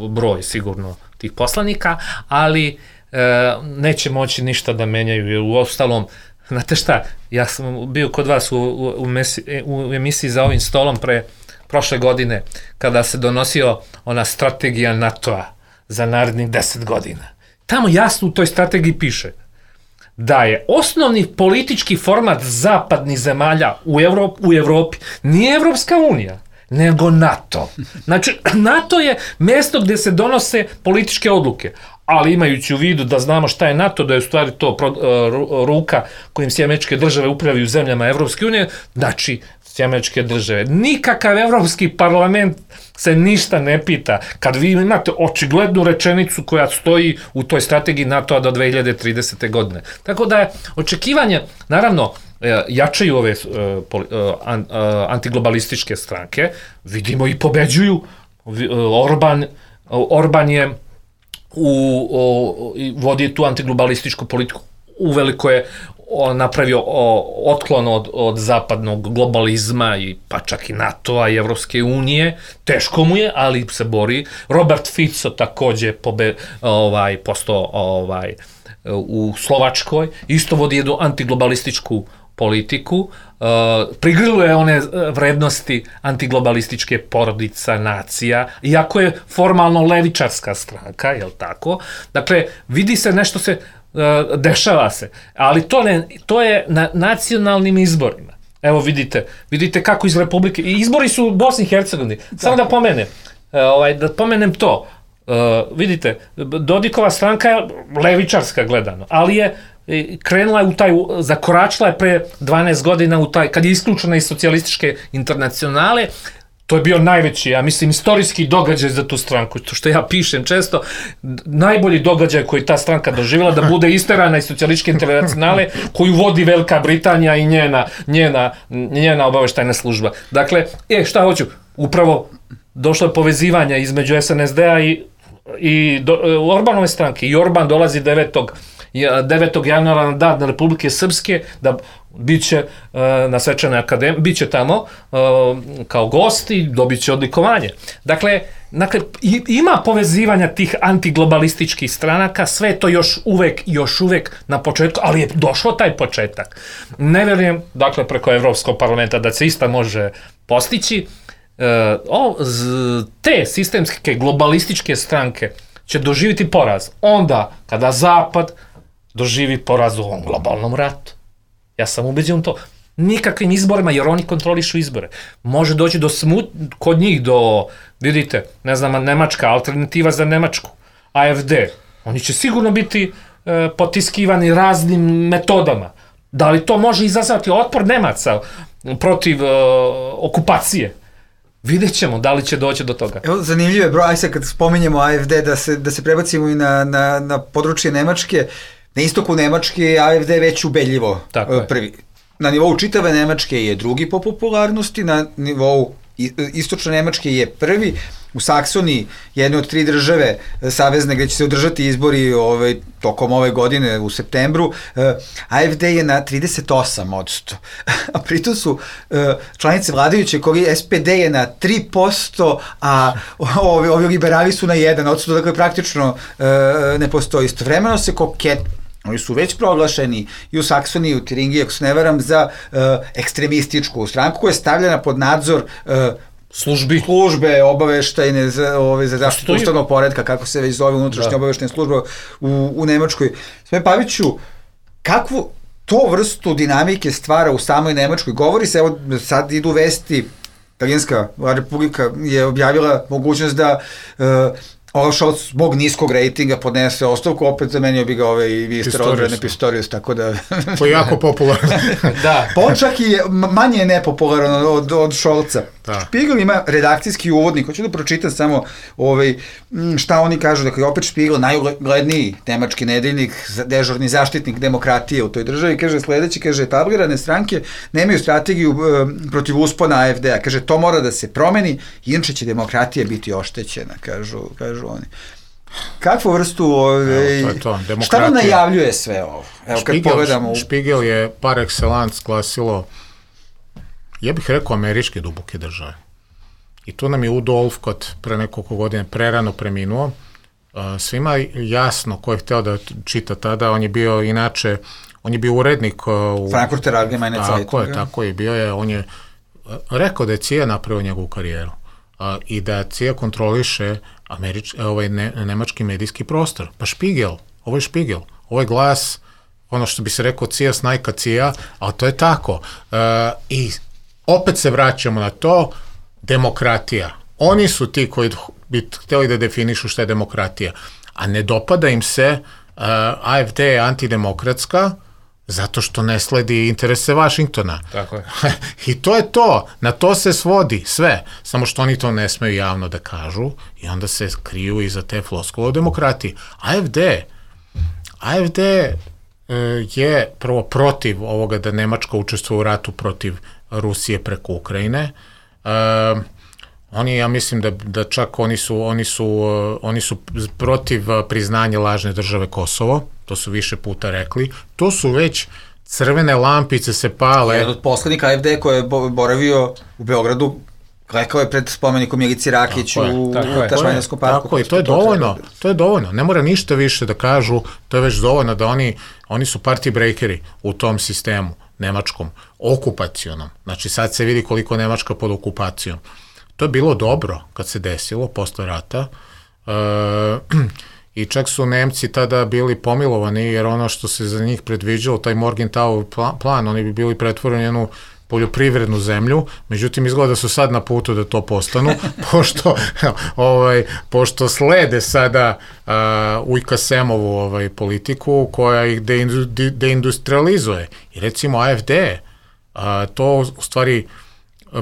broj sigurno tih poslanika, ali neće moći ništa da menjaju, jer u ostalom, znate šta, ja sam bio kod vas u emisiji za ovim stolom prošle godine, kada se donosio ona strategija NATO-a za narednih 10 godina. Tamo jasno u toj strategiji piše da je osnovni politički format zapadnih zemalja u Evropi nije Evropska unija, nego NATO. Znači, NATO je mesto gde se donose političke odluke, ali imajući u vidu da znamo šta je NATO, da je u stvari to ruka kojim Američke države upravljaju zemljama Evropske unije, znači Američke države. Nikakav Evropski parlament se ništa ne pita. Kad vi imate očiglednu rečenicu koja stoji u toj strategiji NATO-a do 2030. godine. Tako da je očekivanje, naravno, jačaju ove antiglobalističke stranke, vidimo i pobeđuju. Orban je vodi tu antiglobalističku politiku. uveliko je napravio otklon od zapadnog globalizma i pa čak i NATO-a i Evropske unije, teško mu je, ali se bori. Robert Fico takođe postao u Slovačkoj, isto vodi jednu antiglobalističku politiku, prigriluje one vrednosti antiglobalističke porodica, nacija, iako je formalno levičarska stranka, jel tako? Dakle, vidi se nešto se dešava se, ali to je na nacionalnim izborima. Evo vidite kako iz Republike, izbori su u Bosni i Hercegovini, samo da pomenem to, vidite, Dodikova stranka je levičarska gledano, ali je krenula je zakoračila je pre 12 godina kad je isključena iz socijalističke internacionale. To je bio najveći, ja mislim, istorijski događaj za tu stranku, to što ja pišem često, najbolji događaj koji ta stranka doživjela, da bude isterana iz socijalističke internacionale koju vodi Velika Britanija i njena obaveštajna služba. Dakle, šta hoću, upravo došlo je povezivanja između SNSD-a i Orbanove stranke, i Orban dolazi 9. januara na dan Republike Srpske, da biće na Svečanoj akademiji, biće tamo kao gost i dobit će odlikovanje. Dakle, ima povezivanja tih antiglobalističkih stranaka, sve to još uvek na početku, ali je došlo taj početak. Ne verujem, dakle, preko Evropskog parlamenta da se ista može postići. Te sistemske globalističke stranke će doživjeti poraz onda kada Zapad doživi poraz u ovom globalnom ratu. Ja sam ubeđen u to. Nikakvim izborima, jer oni kontrolišu izbore. Može doći kod njih do, vidite, ne znam, Nemačka, alternativa za Nemačku, AFD. Oni će sigurno biti potiskivani raznim metodama. Da li to može izazvati otpor Nemaca protiv okupacije? Vidjet ćemo da li će doći do toga. Evo, zanimljivo je, bro, aj sad kad spominjemo AFD, da se prebacimo i na područje Nemačke. Na istoku Nemačke AFD već ubedljivo prvi. Na nivou čitave Nemačke je drugi po popularnosti, na nivou istočne Nemačke je prvi. U Saksoniji, jedne od 3 države savezne gde će se održati izbori tokom ove godine u septembru, AFD je na 38%, a pritom su članice vladajuće koji SPD je na 3%, a ovi liberali su na 1%, dakle praktično ne postoji. Istovremeno se oni su već proglašeni i u Saksoniji, u Tiringiji, ako se ne varam, za ekstremističku stranku koja je stavljena pod nadzor službe obaveštajne za zaštitu ustavnog poretka, kako se već zove unutrašnja obaveštajna služba u Nemačkoj. Sve Paviću, kakvu to vrstu dinamike stvara u samoj Nemačkoj? Govori se, evo sad idu vesti, Talijanska republika je objavila mogućnost da Olaf Scholz zbog niskog rejtinga podnese ostavku, opet zamenio bi ga ministar odbrane Pistorius, tako da... To je jako popularan. Da. Pa on čak i manje je nepopularan od Scholza. Špigel ima redakcijski uvodnik, hoću da pročitam samo šta oni kažu, dakle opet Špigel, najugledniji nemački nedeljnik, dežurni zaštitnik demokratije u toj državi, kaže sledeći, kaže, etablirane stranke nemaju strategiju protiv uspona AFD-a, kaže, to mora da se promeni, inače će demokratija biti oštećena, kažu oni. Kakvu vrstu, šta vam najavljuje sve ovo? Evo kad pogledamo... Špigel je par excellence glasilo, ja bih rekao, američke duboke države. I tu nam je Udo Olfkot pre nekoliko godina prerano preminuo. Svima jasno ko je hteo da čita tada, on je bio inače, on je bio urednik u... Frankfurter Allgemeine Zeitung. Tako je, bio je, on je rekao da je CIA napravio njegovu karijeru i da CIA kontroliše nemački medijski prostor. Pa Špigel, ovo je Špigel, ovo je glas, ono što bi se rekao CIA snajka CIA, ali to je tako. I opet se vraćamo na to, demokratija. Oni su ti koji bi htjeli da definišu šta je demokratija, a ne dopada im se AFD je antidemokratska, zato što ne sledi interese Vašingtona. Tako je. I to je to. Na to se svodi sve. Samo što oni to ne smeju javno da kažu i onda se kriju iza te floskule o demokratiji. AFD je prvo protiv ovoga da Nemačka učestvuje u ratu protiv Rusije preko Ukrajine. Oni, ja mislim da čak oni su protiv priznanja lažne države Kosovo. to su više puta rekli, to su već crvene lampice se pale. Jedan od poslednika AFD koji je boravio u Beogradu, rekao je pred spomenikom Milici Rakić u Tašmajnarskom parku. Tako je, to je dovoljno. Ne mora ništa više da kažu, to je već dovoljno da oni su party breakeri u tom sistemu nemačkom, okupacionom. Znači sad se vidi koliko je Nemačka pod okupacijom. To je bilo dobro kad se desilo posle rata i čak su Nemci tada bili pomilovani jer ono što se za njih predviđalo, taj Morgenthau plan, oni bi bili pretvoreni jednu poljoprivrednu zemlju, međutim izgleda da su sad na putu da to postanu, pošto slede sada Ujka Semovu politiku koja ih deindustrializuje. I recimo AFD, to u stvari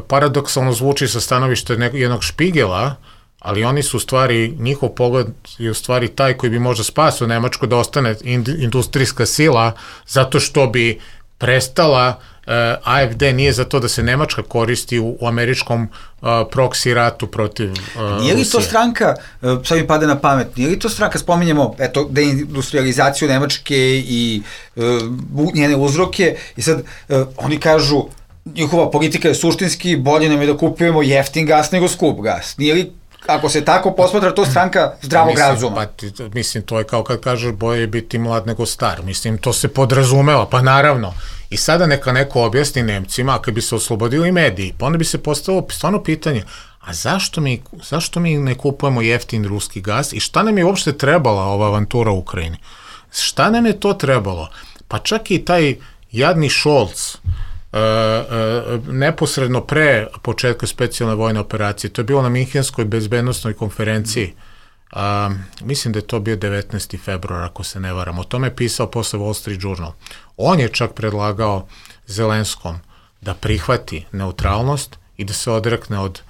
paradoksalno zvuči sa stanovišta jednog Špigela, ali oni su u stvari, njihov pogled je u stvari taj koji bi možda spasio Nemačku da ostane industrijska sila, zato što bi prestala, AFD nije za to da se Nemačka koristi u američkom proksi ratu protiv Rusije. Nije li to stranka, sad mi pada na pamet, nije li to stranka, spominjemo deindustrializaciju Nemačke i njene uzroke, i sad oni kažu, njihova politika je suštinski, bolje nam je da kupujemo jeftin gas nego skup gas. Nije li, ako se tako posmatra, to stranka zdravog razuma? Mislim, to je kao kad kažeš bolje je biti mlad nego star. Mislim, to se podrazumeva, pa naravno. I sada neka neko objasni Nemcima, ako bi se oslobodili mediji, pa onda bi se postavilo stvarno pitanje, a zašto mi ne kupujemo jeftin ruski gas i šta nam je uopšte trebala ova avantura u Ukrajini? Šta nam je to trebalo? Pa čak i taj jadni Scholz, neposredno pre početka specijalne vojne operacije, to je bilo na Minhenskoj bezbednostnoj konferenciji, mislim da je to bio 19. februar, ako se ne varam, o tome je pisao posle Wall Street Journal. On je čak predlagao Zelenskom da prihvati neutralnost i da se odrekne od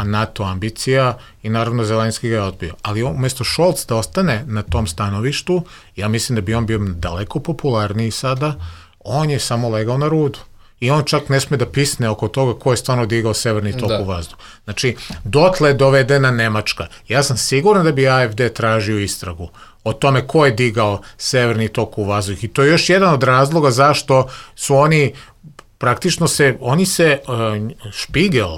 NATO ambicija i naravno Zelenski ga je odbio. Ali umesto Scholz da ostane na tom stanovištu, ja mislim da bi on bio daleko popularniji sada, on je samo legao na rudu. I on čak ne sme da pisne oko toga ko je stvarno digao severni tok u vazduh. Znači, dotle je dovedena Nemačka. Ja sam siguran da bi AFD tražio istragu o tome ko je digao severni tok u vazduh. I to je još jedan od razloga zašto su oni, praktično Špigel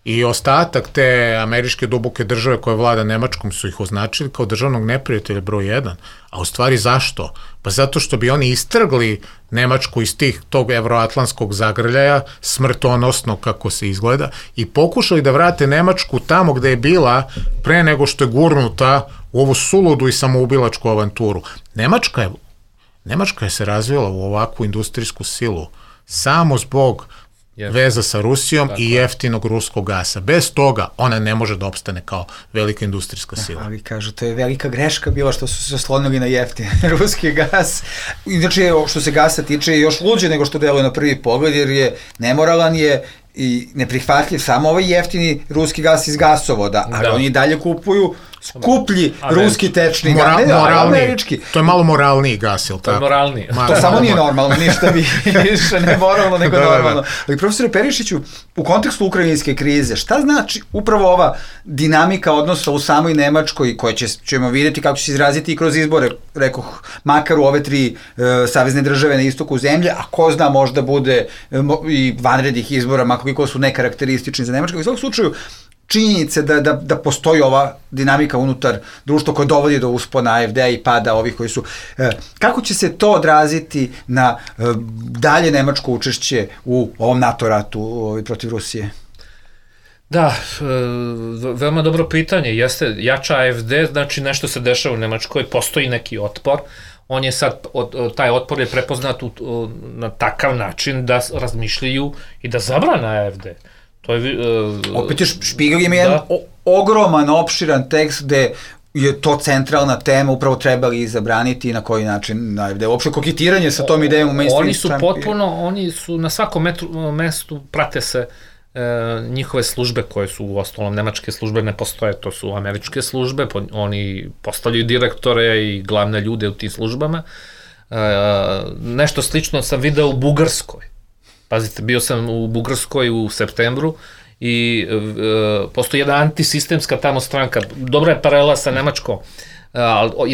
i ostatak te američke duboke države koje vlada Nemačkom su ih označili kao državnog neprijatelja broj 1. A u stvari zašto? Pa zato što bi oni istrgli Nemačku iz tog evroatlantskog zagrljaja, smrtonosno kako se izgleda, i pokušali da vrate Nemačku tamo gde je bila pre nego što je gurnuta u ovu suludu i samoubilačku avanturu. Nemačka je se razvila u ovakvu industrijsku silu samo zbog veza sa Rusijom i jeftinog ruskog gasa. Bez toga ona ne može da opstane kao velika industrijska sila. Ali kažu, to je velika greška bila što su se oslonili na jeftin ruski gas. Inače, što se gasa tiče, je još luđe nego što deluje na prvi pogled, jer je nemoralan je i neprihvatljiv samo ovaj jeftini ruski gas iz gasovoda, ali oni dalje kupuju skuplji ruski tečni gas, američki. To je malo moralniji gas, ili tako? To je moralniji. To samo nije normalno, ništa više ne moralno nego normalno. Ali profesore Perišiću, u kontekstu ukrajinske krize, šta znači upravo ova dinamika odnosa u samoj Nemačkoj, koje ćemo vidjeti kako će se izraziti i kroz izbore, rekoh, makar u ove 3 savezne države na istoku zemlje, a ko zna, možda bude i vanrednih izbora, makar koliko su nekarakteristični za Nemačku. U svakom slučaju, činjenice da postoji ova dinamika unutar društva koja dovodi do uspona AFD-a i pada ovih koji su... Kako će se to odraziti na dalje nemačko učešće u ovom NATO ratu protiv Rusije? Da, veoma dobro pitanje. Jeste jača AFD, znači nešto se dešava u Nemačkoj, postoji neki otpor. On je sad, taj otpor je prepoznat na takav način da razmišljaju i da zabrana AFD. Opet je Špigel ima jedan ogroman, opširan tekst gde je to centralna tema, upravo trebali i zabraniti i na koji način, da je uopšte koketiranje sa tom idejom u mainstream. Oni su na svakom mestu, prate se njihove službe koje su u ostalom nemačke službe ne postoje, to su američke službe, oni postavljaju direktore i glavne ljude u tim službama. Nešto slično sam video u Bugarskoj. Pazite, bio sam u Bugarskoj u septembru i postoji jedna antisistemska tamo stranka, dobra je paralela sa Nemačkom,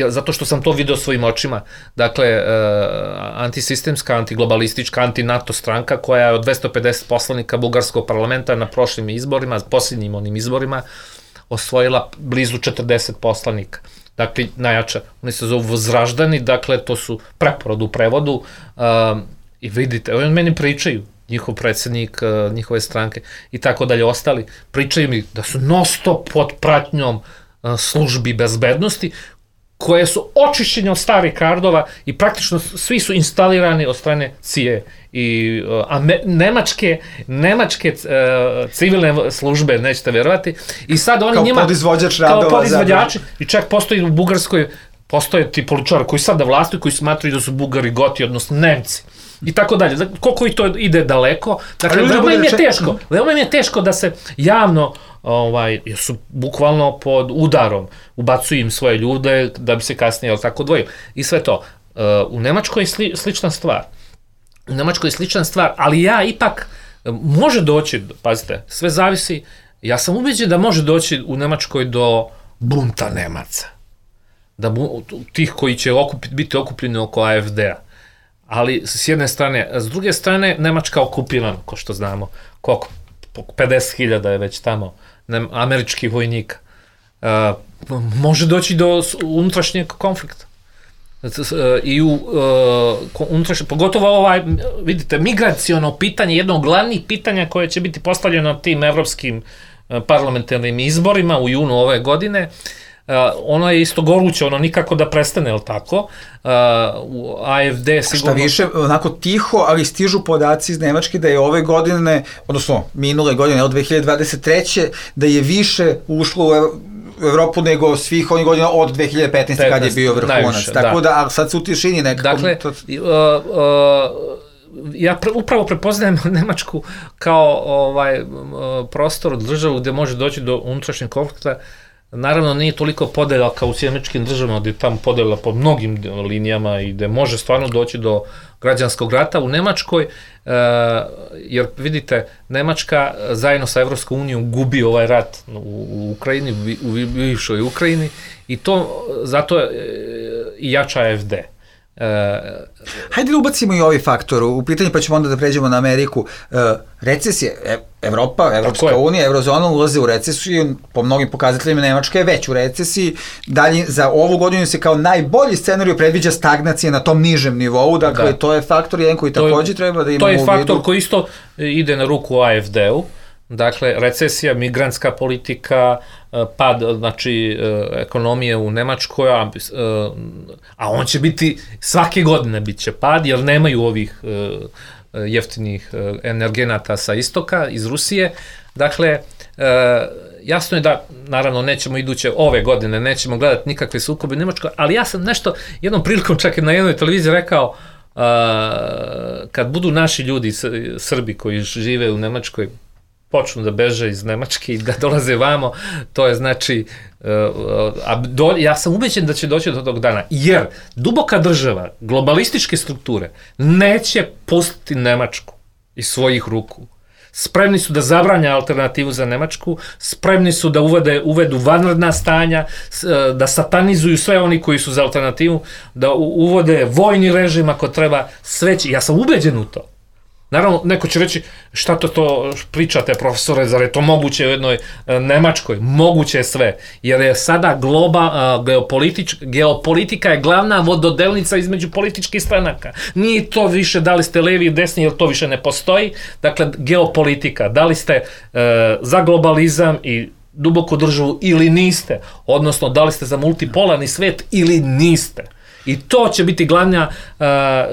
zato što sam to video svojim očima. Dakle, antisistemska, antiglobalistička, anti-NATO stranka koja je od 250 poslanika bugarskog parlamenta na prošlim izborima, posljednjim onim izborima, osvojila blizu 40 poslanika. Dakle, najjača. Oni se zovu Vzraždani, dakle, to su preporod u prevodu i vidite, oni meni pričaju, njihov predsjednik, njihove stranke i tako dalje, ostali, pričaju mi da su non stop pod pratnjom službi bezbednosti, koje su očišćene od starih kardova i praktično svi su instalirani od strane CIA i nemačke civilne službe, nećete vjerovati, i sad oni njima... Kao podizvođači. I čak postoji u Bugarskoj, postoje ti političari koji sad da vlastuju, koji smatruju da su Bugari Goti, odnosno Nemci. I tako dalje. Koliko i to ide daleko. Dakle, veoma im je teško da se javno, jer su bukvalno pod udarom, ubacuju im svoje ljude da bi se kasnije tako odvojili. I sve to. U Nemačkoj je slična stvar. Ali ja ipak može doći, pazite, sve zavisi, ja sam ubeđen da može doći u Nemačkoj do bunta Nemaca. Tih koji će biti okupljeni oko AfD-a. Ali s jedne strane, s druge strane, Nemačka okupirana, ko što znamo, koliko, 50.000 je već tamo američkih vojnika. Može doći do unutrašnjeg konflikta. I pogotovo vidite, migraciono pitanje, jedno od glavnih pitanja koje će biti postavljeno tim evropskim parlamentarnim izborima u junu ove godine, ono je isto goruće, ono nikako da prestane, ali tako? AfD sigurno... Šta više, onako tiho, ali stižu podaci iz Nemačke da je ove godine, odnosno minule godine, od 2023. da je više ušlo u Evropu nego svih onih godina od 2015. kad je bio vrhunac. Tako da, ali sad su u tišini nekako... Dakle, ja upravo prepoznajem Nemačku kao prostor, državu gde može doći do unutrašnjeg konflikta. Naravno, nije toliko podela kao u sjemečkim državama, gde je tamo podela po mnogim linijama i gde može stvarno doći do građanskog rata. U Nemačkoj, jer vidite, Nemačka zajedno sa Evropskom unijom gubi ovaj rat u Ukrajini, u bivšoj Ukrajini, i to zato i jača AfD. Hajde da ubacimo i ovaj faktor u pitanje, pa ćemo onda da pređemo na Ameriku. Recesije, Evropa, Evropska unija, Eurozona ulaze u recesiju, po mnogim pokazateljima Nemačka je već u recesiji, dalje za ovu godinu se kao najbolji scenarij predviđa stagnacija na tom nižem nivou, dakle to je faktor jedan koji također treba da imamo u vidu. To je faktor koji isto ide na ruku AfD-u. Dakle, recesija, migrantska politika, pad, znači, ekonomije u Nemačkoj, a on će biti, svake godine bit će pad, jer nemaju ovih jeftinih energenata sa istoka, iz Rusije. Dakle, jasno je da, naravno, nećemo iduće ove godine, nećemo gledati nikakve sukobe u Nemačkoj, ali ja sam nešto, jednom prilikom čak i na jednoj televiziji rekao, kad budu naši ljudi, Srbi koji žive u Nemačkoj, počnu da beže iz Nemačke i da dolaze vamo, to je znači, ja sam ubeđen da će doći do tog dana, jer duboka država, globalističke strukture, neće pustiti Nemačku iz svojih ruku. Spremni su da zabranja alternativu za Nemačku, spremni su da uvedu vanredna stanja, da satanizuju sve oni koji su za alternativu, da uvode vojni režim ako treba, sve će, ja sam ubeđen u to. Naravno, neko će reći, šta to pričate, profesore, zar je to moguće u jednoj Nemačkoj? Moguće je sve, jer je sada geopolitika je glavna vododelnica između političkih stranaka. Nije to više da li ste levi i desni, jer to više ne postoji. Dakle, geopolitika, da li ste za globalizam i duboku državu ili niste, odnosno da li ste za multipolarni svet ili niste. I to će biti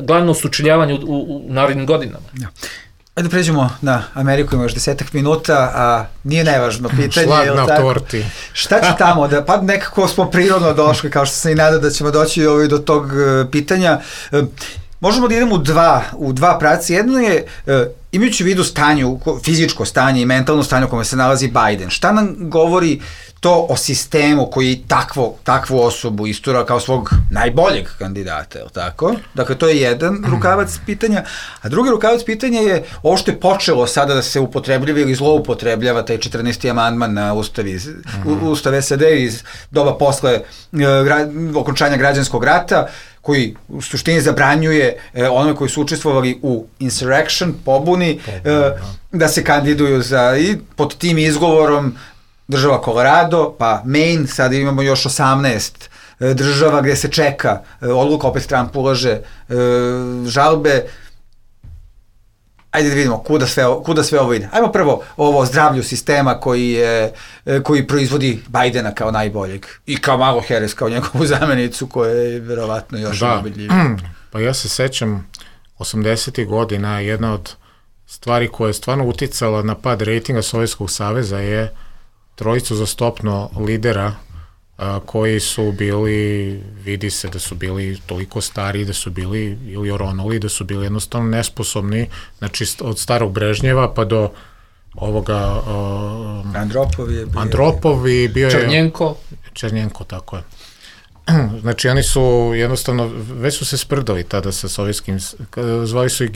glavno sučeljavanje u narednim godinama. Ja. Ajde pređemo na Ameriku, ima još 10 minuta, a nije najvažno pitanje. Šlag na torti. Šta će tamo? Pa nekako smo prirodno došli, kao što sam i nadao da ćemo doći do tog pitanja. Možemo da idemo u dva pravca. Jedno je imajući u vidu fizičko stanje i mentalno stanje u kome se nalazi Biden, šta nam govori to o sistemu koji takvu osobu istura kao svog najboljeg kandidata, je li tako? Dakle, to je jedan rukavac pitanja, a drugi rukavac pitanja je ovo što je počelo sada da se upotrebljava ili zloupotrebljava taj 14. amandman na Ustav SAD iz doba posle okončanja građanskog rata, koji u suštini zabranjuje onome koji su učestvovali u insurrection, pobuni, da se kandiduju i pod tim izgovorom država Colorado, pa Maine, sada imamo još 18 država gde se čeka odluka, opet Trump ulaže žalbe. Ajde da vidimo kuda sve ovo ide. Ajmo prvo ovo zdravlju sistema koji proizvodi Bidena kao najboljeg i kao Kamala Harris kao njegovu zamenicu koja je verovatno još najboljivija. Pa ja se sećam 80. godina, jedna od stvari koja je stvarno uticala na pad rejtinga Sovjetskog saveza je trojicu zastopno lidera koji su bili, vidi se da su bili toliko stari, da su bili ili oronuli, da su bili jednostavno nesposobni, znači od starog Brežnjeva pa do ovoga Andropovi bio je Černjenko, tako je. Znači oni su jednostavno, već su se sprdali tada sa sovjetskim, zvali su i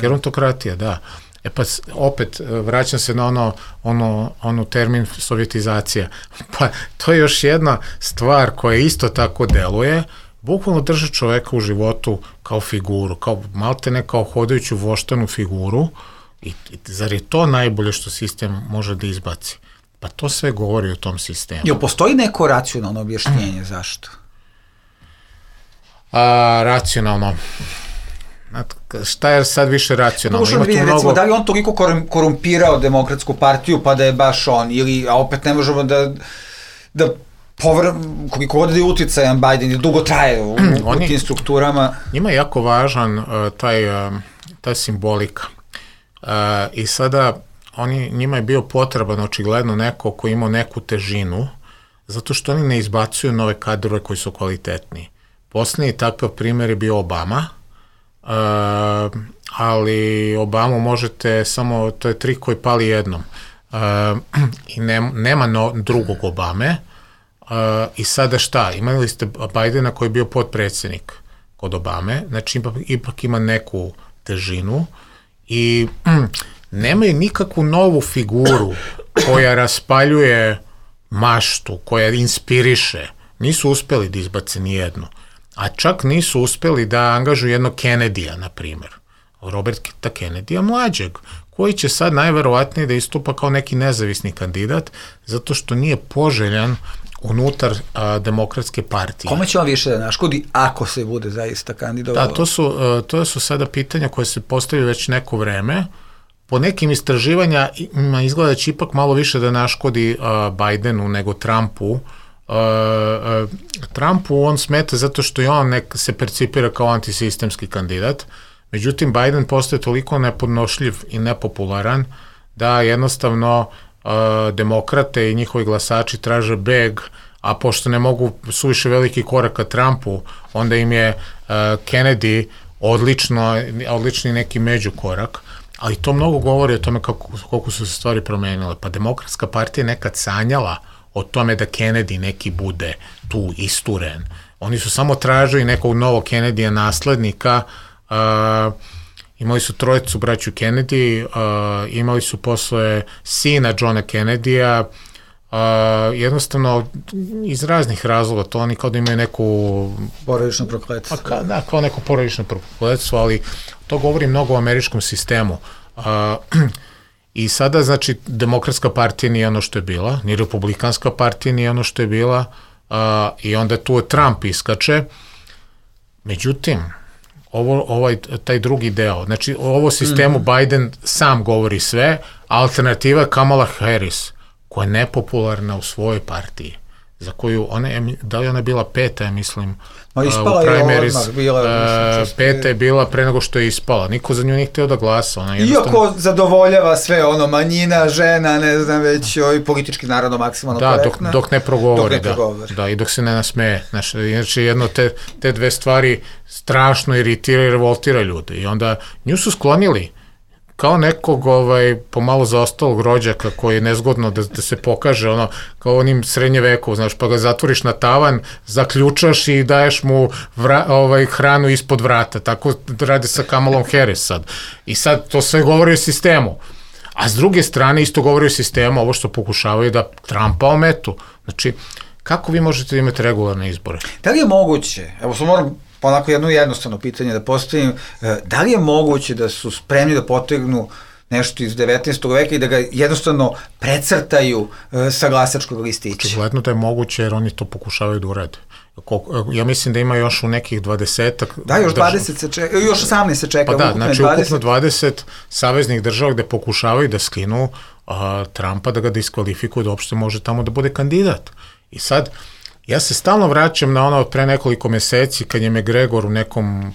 gerontokratija, da. E pa opet vraćam se na ono termin sovjetizacija. Pa to je još jedna stvar koja isto tako deluje, bukvalno drže čoveka u životu kao figuru, kao maltene kao hodajuću voštanu figuru i zar je to najbolje što sistem može da izbaci? Pa to sve govori o tom sistemu. Jel postoji neko racionalno objašnjenje zašto? Racionalno. Šta je sad više racionalno? Recimo, da li on toliko korumpirao Demokratsku partiju pa da je baš on, a opet ne možemo da koliko god je uticajan Biden i dugo traje u tim strukturama. Njima je jako važan ta simbolika i sada njima je bio potreban očigledno neko ko imao neku težinu, zato što oni ne izbacuju nove kadrove koji su kvalitetni. Poslednji takav primjer je bio Obama, ali Obamu možete samo, to je trik koji pali jednom i nema drugog Obame i sada šta, imali ste Bidena koji je bio potpredsjednik kod Obame, znači ipak ima neku težinu i nemaju nikakvu novu figuru koja raspaljuje maštu, koja inspiriše, nisu uspeli da izbace nijednu. A čak nisu uspeli da angažuju jednog Kennedyja, na primjer, Roberta Kennedyja mlađeg, koji će sad najverovatnije da istupa kao neki nezavisni kandidat, zato što nije poželjan unutar Demokratske partije. Kome će on više da naškodi ako se bude zaista kandidovalo? Da, to su sada pitanja koje se postavljaju već neko vreme. Po nekim istraživanjima izgleda će ipak malo više da naškodi Bidenu nego Trumpu. Trumpu on smeta zato što i on se percipira kao antisistemski kandidat, međutim Biden postaje toliko nepodnošljiv i nepopularan da jednostavno demokrate i njihovi glasači traže beg, a pošto ne mogu suviše veliki korak ka Trumpu, onda im je Kennedy odlični neki međukorak, ali to mnogo govori o tome koliko su se stvari promenile. Pa Demokratska partija nekad sanjala o tome da Kennedy neki bude tu isturen. Oni su samo tražili nekog novog Kennedyja naslednika, imali su trojicu braću Kennedy, imali su posle sina Johna Kennedyja, jednostavno iz raznih razloga, to oni kao da imaju neku porodično prokletstvo. Da, kao neko porodično prokletstvo, ali to govori mnogo o američkom sistemu. I sada, znači, Demokratska partija nije ono što je bila, ni Republikanska partija nije ono što je bila, i onda tu Trump iskače. Međutim, taj drugi deo, znači, ovo sistemu Biden sam govori sve, alternativa je Kamala Harris, koja je nepopularna u svojoj partiji, za koju, da li ona bila peta, ja mislim, ispala u primaries, peta je bila pre nego što je ispala. Niko za nju nije htio da glasa. Iako zadovoljava sve manjina, žena, ne znam, već politički naravno maksimalno korektna. Da, dok ne progovori, da, i dok se ne nasmeje. Znači, jedno te dve stvari strašno iritira i revoltira ljude. I onda nju su sklonili kao nekog pomalo zaostalog rođaka koji je nezgodno da se pokaže, kao onim srednje veku, znaš, pa ga zatvoriš na tavan, zaključaš i daješ mu hranu ispod vrata. Tako radi sa Kamalom Harris sad. I sad to sve govori o sistemu. A s druge strane isto govori o sistemu, ovo što pokušavaju da Trumpa ometu. Znači, kako vi možete da imate regularne izbore? Da li je moguće, evo sam moram onako jedno jednostavno pitanje da postavim, da li je moguće da su spremni da potegnu nešto iz 19. veka i da ga jednostavno precrtaju sa glasačkog listića? Očigledno da je moguće jer oni to pokušavaju da urade. Ja mislim da ima još u nekih 20-ak... Da, još 20 se čeka, još 18 se čeka. Pa da, znači ukupno 20 saveznih država gde pokušavaju da skinu Trumpa, da ga diskvalifikuju, da uopšte može tamo da bude kandidat. I sad, ja se stalno vraćam na ono pre nekoliko meseci kad je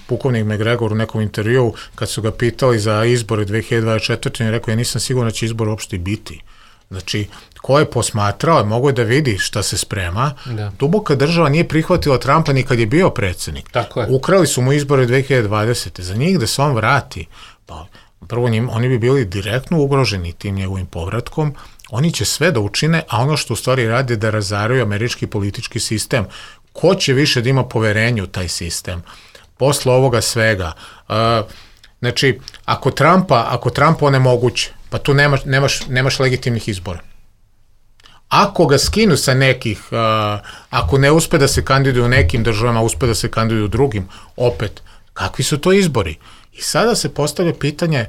pukovnik McGregor u nekom intervjuu, kad su ga pitali za izbore 2024. i rekao, ja nisam siguran da će izbor uopšte biti. Znači, ko je posmatrao, mogo je da vidi šta se sprema. Da. Duboka država nije prihvatila Trumpa ni kad je bio predsednik. Ukrali su mu izbore 2020. Za njih da se on vrati, pa prvo oni bi bili direktno ugroženi tim njegovim povratkom. Oni će sve da učine, a ono što u stvari radi je da razaraju američki politički sistem. Ko će više da ima poverenje u taj sistem? Posle ovoga svega. Znači, ako Trumpa onemoguće, pa tu nemaš legitimnih izbora. Ako ga skinu sa nekih, ako ne uspe da se kandiduju u nekim državama, uspe da se kandiduju u drugim, opet, kakvi su to izbori? I sada se postavlja pitanje,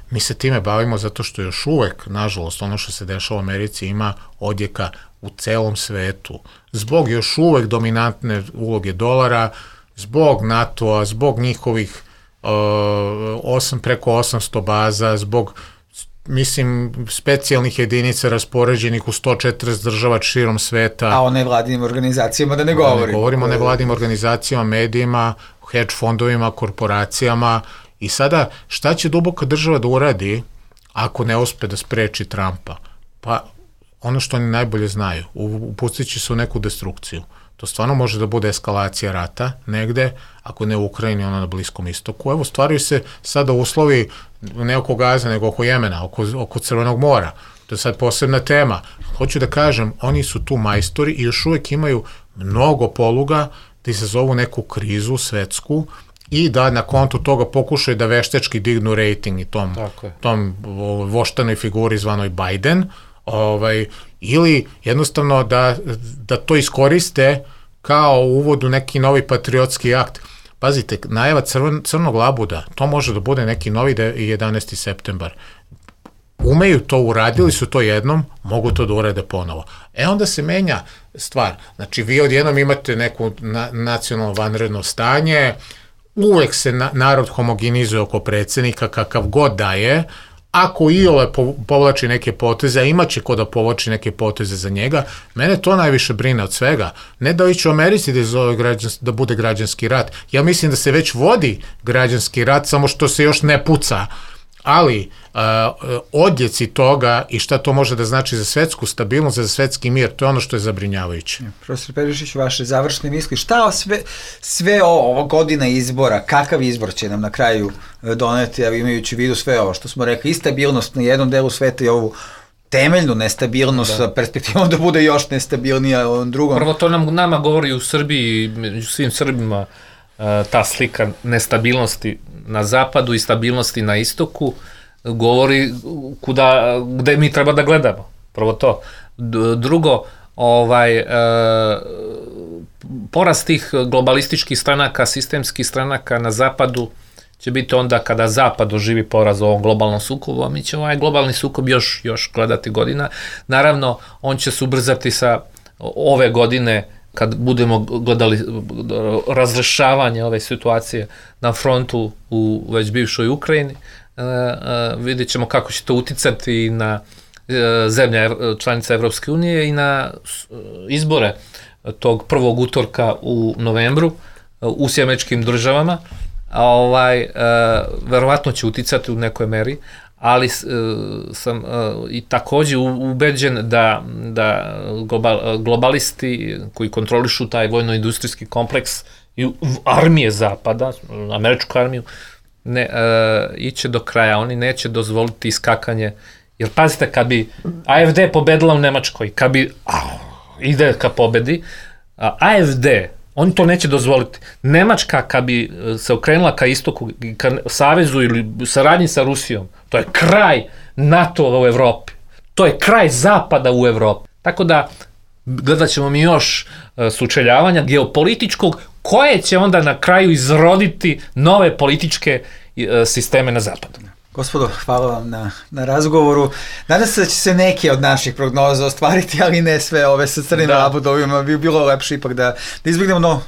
mi se time bavimo zato što još uvek, nažalost, ono što se dešava u Americi ima odjeka u celom svetu. Zbog još uvek dominantne uloge dolara, zbog NATO-a, zbog njihovih preko 800 baza, zbog, mislim, specijalnih jedinica raspoređenih u 140 država širom sveta. A o nevladinim organizacijama da ne govorimo. Ne govorimo o nevladinim organizacijama, medijima, hedge fondovima, korporacijama. I sada, šta će duboka država da uradi ako ne uspe da spreči Trumpa? Pa, ono što oni najbolje znaju, upustit će se u neku destrukciju. To stvarno može da bude eskalacija rata negde, ako ne u Ukrajini, ono na Bliskom istoku. Evo, stvaraju se sada uslovi ne oko Gaza, nego oko Jemena, oko Crvenog mora. To je sad posebna tema. Hoću da kažem, oni su tu majstori i još uvek imaju mnogo poluga da izazovu neku krizu svetsku i da na kontu toga pokušaju da veštečki dignu rejting i tom voštanoj figuri zvanoj Biden, ili jednostavno da to iskoriste kao uvod u neki novi patriotski akt. Pazite, najava crnog labuda, to može da bude neki novi 11. septembar. Umeju to, uradili su to jednom, mogu to da urade ponovo. Onda se menja stvar. Znači, vi odjednom imate neku nacionalno vanredno stanje, uvek se narod homogenizuje oko predsednika kakav god da je, ako iole povlači neke poteze, a imaće ko da povlači neke poteze za njega, mene to najviše brine od svega. Ne da ići u Americi da bude građanski rat. Ja mislim da se već vodi građanski rat, samo što se još ne puca. Ali odjeci toga i šta to može da znači za svetsku stabilnost, za svetski mir, to je ono što je zabrinjavajuće. Profesor Perišić, vaše završne misli, šta sve ovo godina izbora, kakav izbor će nam na kraju doneti, imajući u vidu sve ovo što smo rekli, i stabilnost na jednom delu sveta i ovu temeljnu nestabilnost sa perspektivom da bude još nestabilnija u drugom. Prvo to nama govori u Srbiji, među svim Srbima, ta slika nestabilnosti na zapadu i stabilnosti na istoku govori gde mi treba da gledamo. Prvo to. Drugo, porast tih globalističkih stranaka, sistemskih stranaka na zapadu će biti onda kada zapad doživi poraz u ovom globalnom sukobu, a mi ćemo ovaj globalni sukob još gledati godina. Naravno, on će se ubrzati sa ove godine kad budemo gledali razrešavanje ove situacije na frontu u već bivšoj Ukrajini, vidjet ćemo kako će to uticati na zemlje članice Evropske unije i na izbore tog prvog utorka u novembru u Sjemečkim državama. Verovatno će uticati u nekoj meri, ali sam i takođe ubeđen da globalisti koji kontrolišu taj vojno-industrijski kompleks i armije Zapada, američku armiju, iće do kraja, oni neće dozvoliti iskakanje, jer pazite, kad bi AfD pobedila u Nemačkoj, kad bi ide ka pobedi, AfD, oni to neće dozvoliti. Nemačka kad bi se okrenula ka istoku, ka savezu ili saradnji sa Rusijom, to je kraj NATO u Evropi. To je kraj zapada u Evropi. Tako da gledat ćemo mi još sučeljavanja geopolitičkog, koje će onda na kraju izroditi nove političke sisteme na zapadu. Gospodo, hvala vam na razgovoru. Nadam se da će se neke od naših prognoza ostvariti, ali ne sve ove sa crnim labudovima. Bi bilo lepše ipak da izbjegnemo, no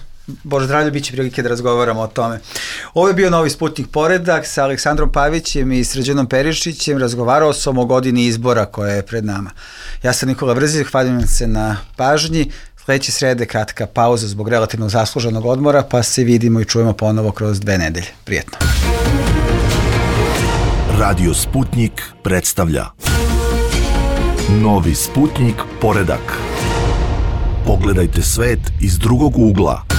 Bože zdravlje, bit će prilike da razgovaramo o tome. Ovo je bio Novi Sputnik poredak sa Aleksandrom Pavićem i Srđanom Perišićem. Razgovarao sam o godini izbora koja je pred nama. Ja sam Nikola Vrzić, hvalim se na pažnji. Sledeće srede kratka pauza zbog relativno zasluženog odmora, pa se vidimo i čujemo ponovo kroz 2 nedelje. Prijetno. Radio Sputnik predstavlja Novi Sputnik poredak. Pogledajte svet iz drugog ugla.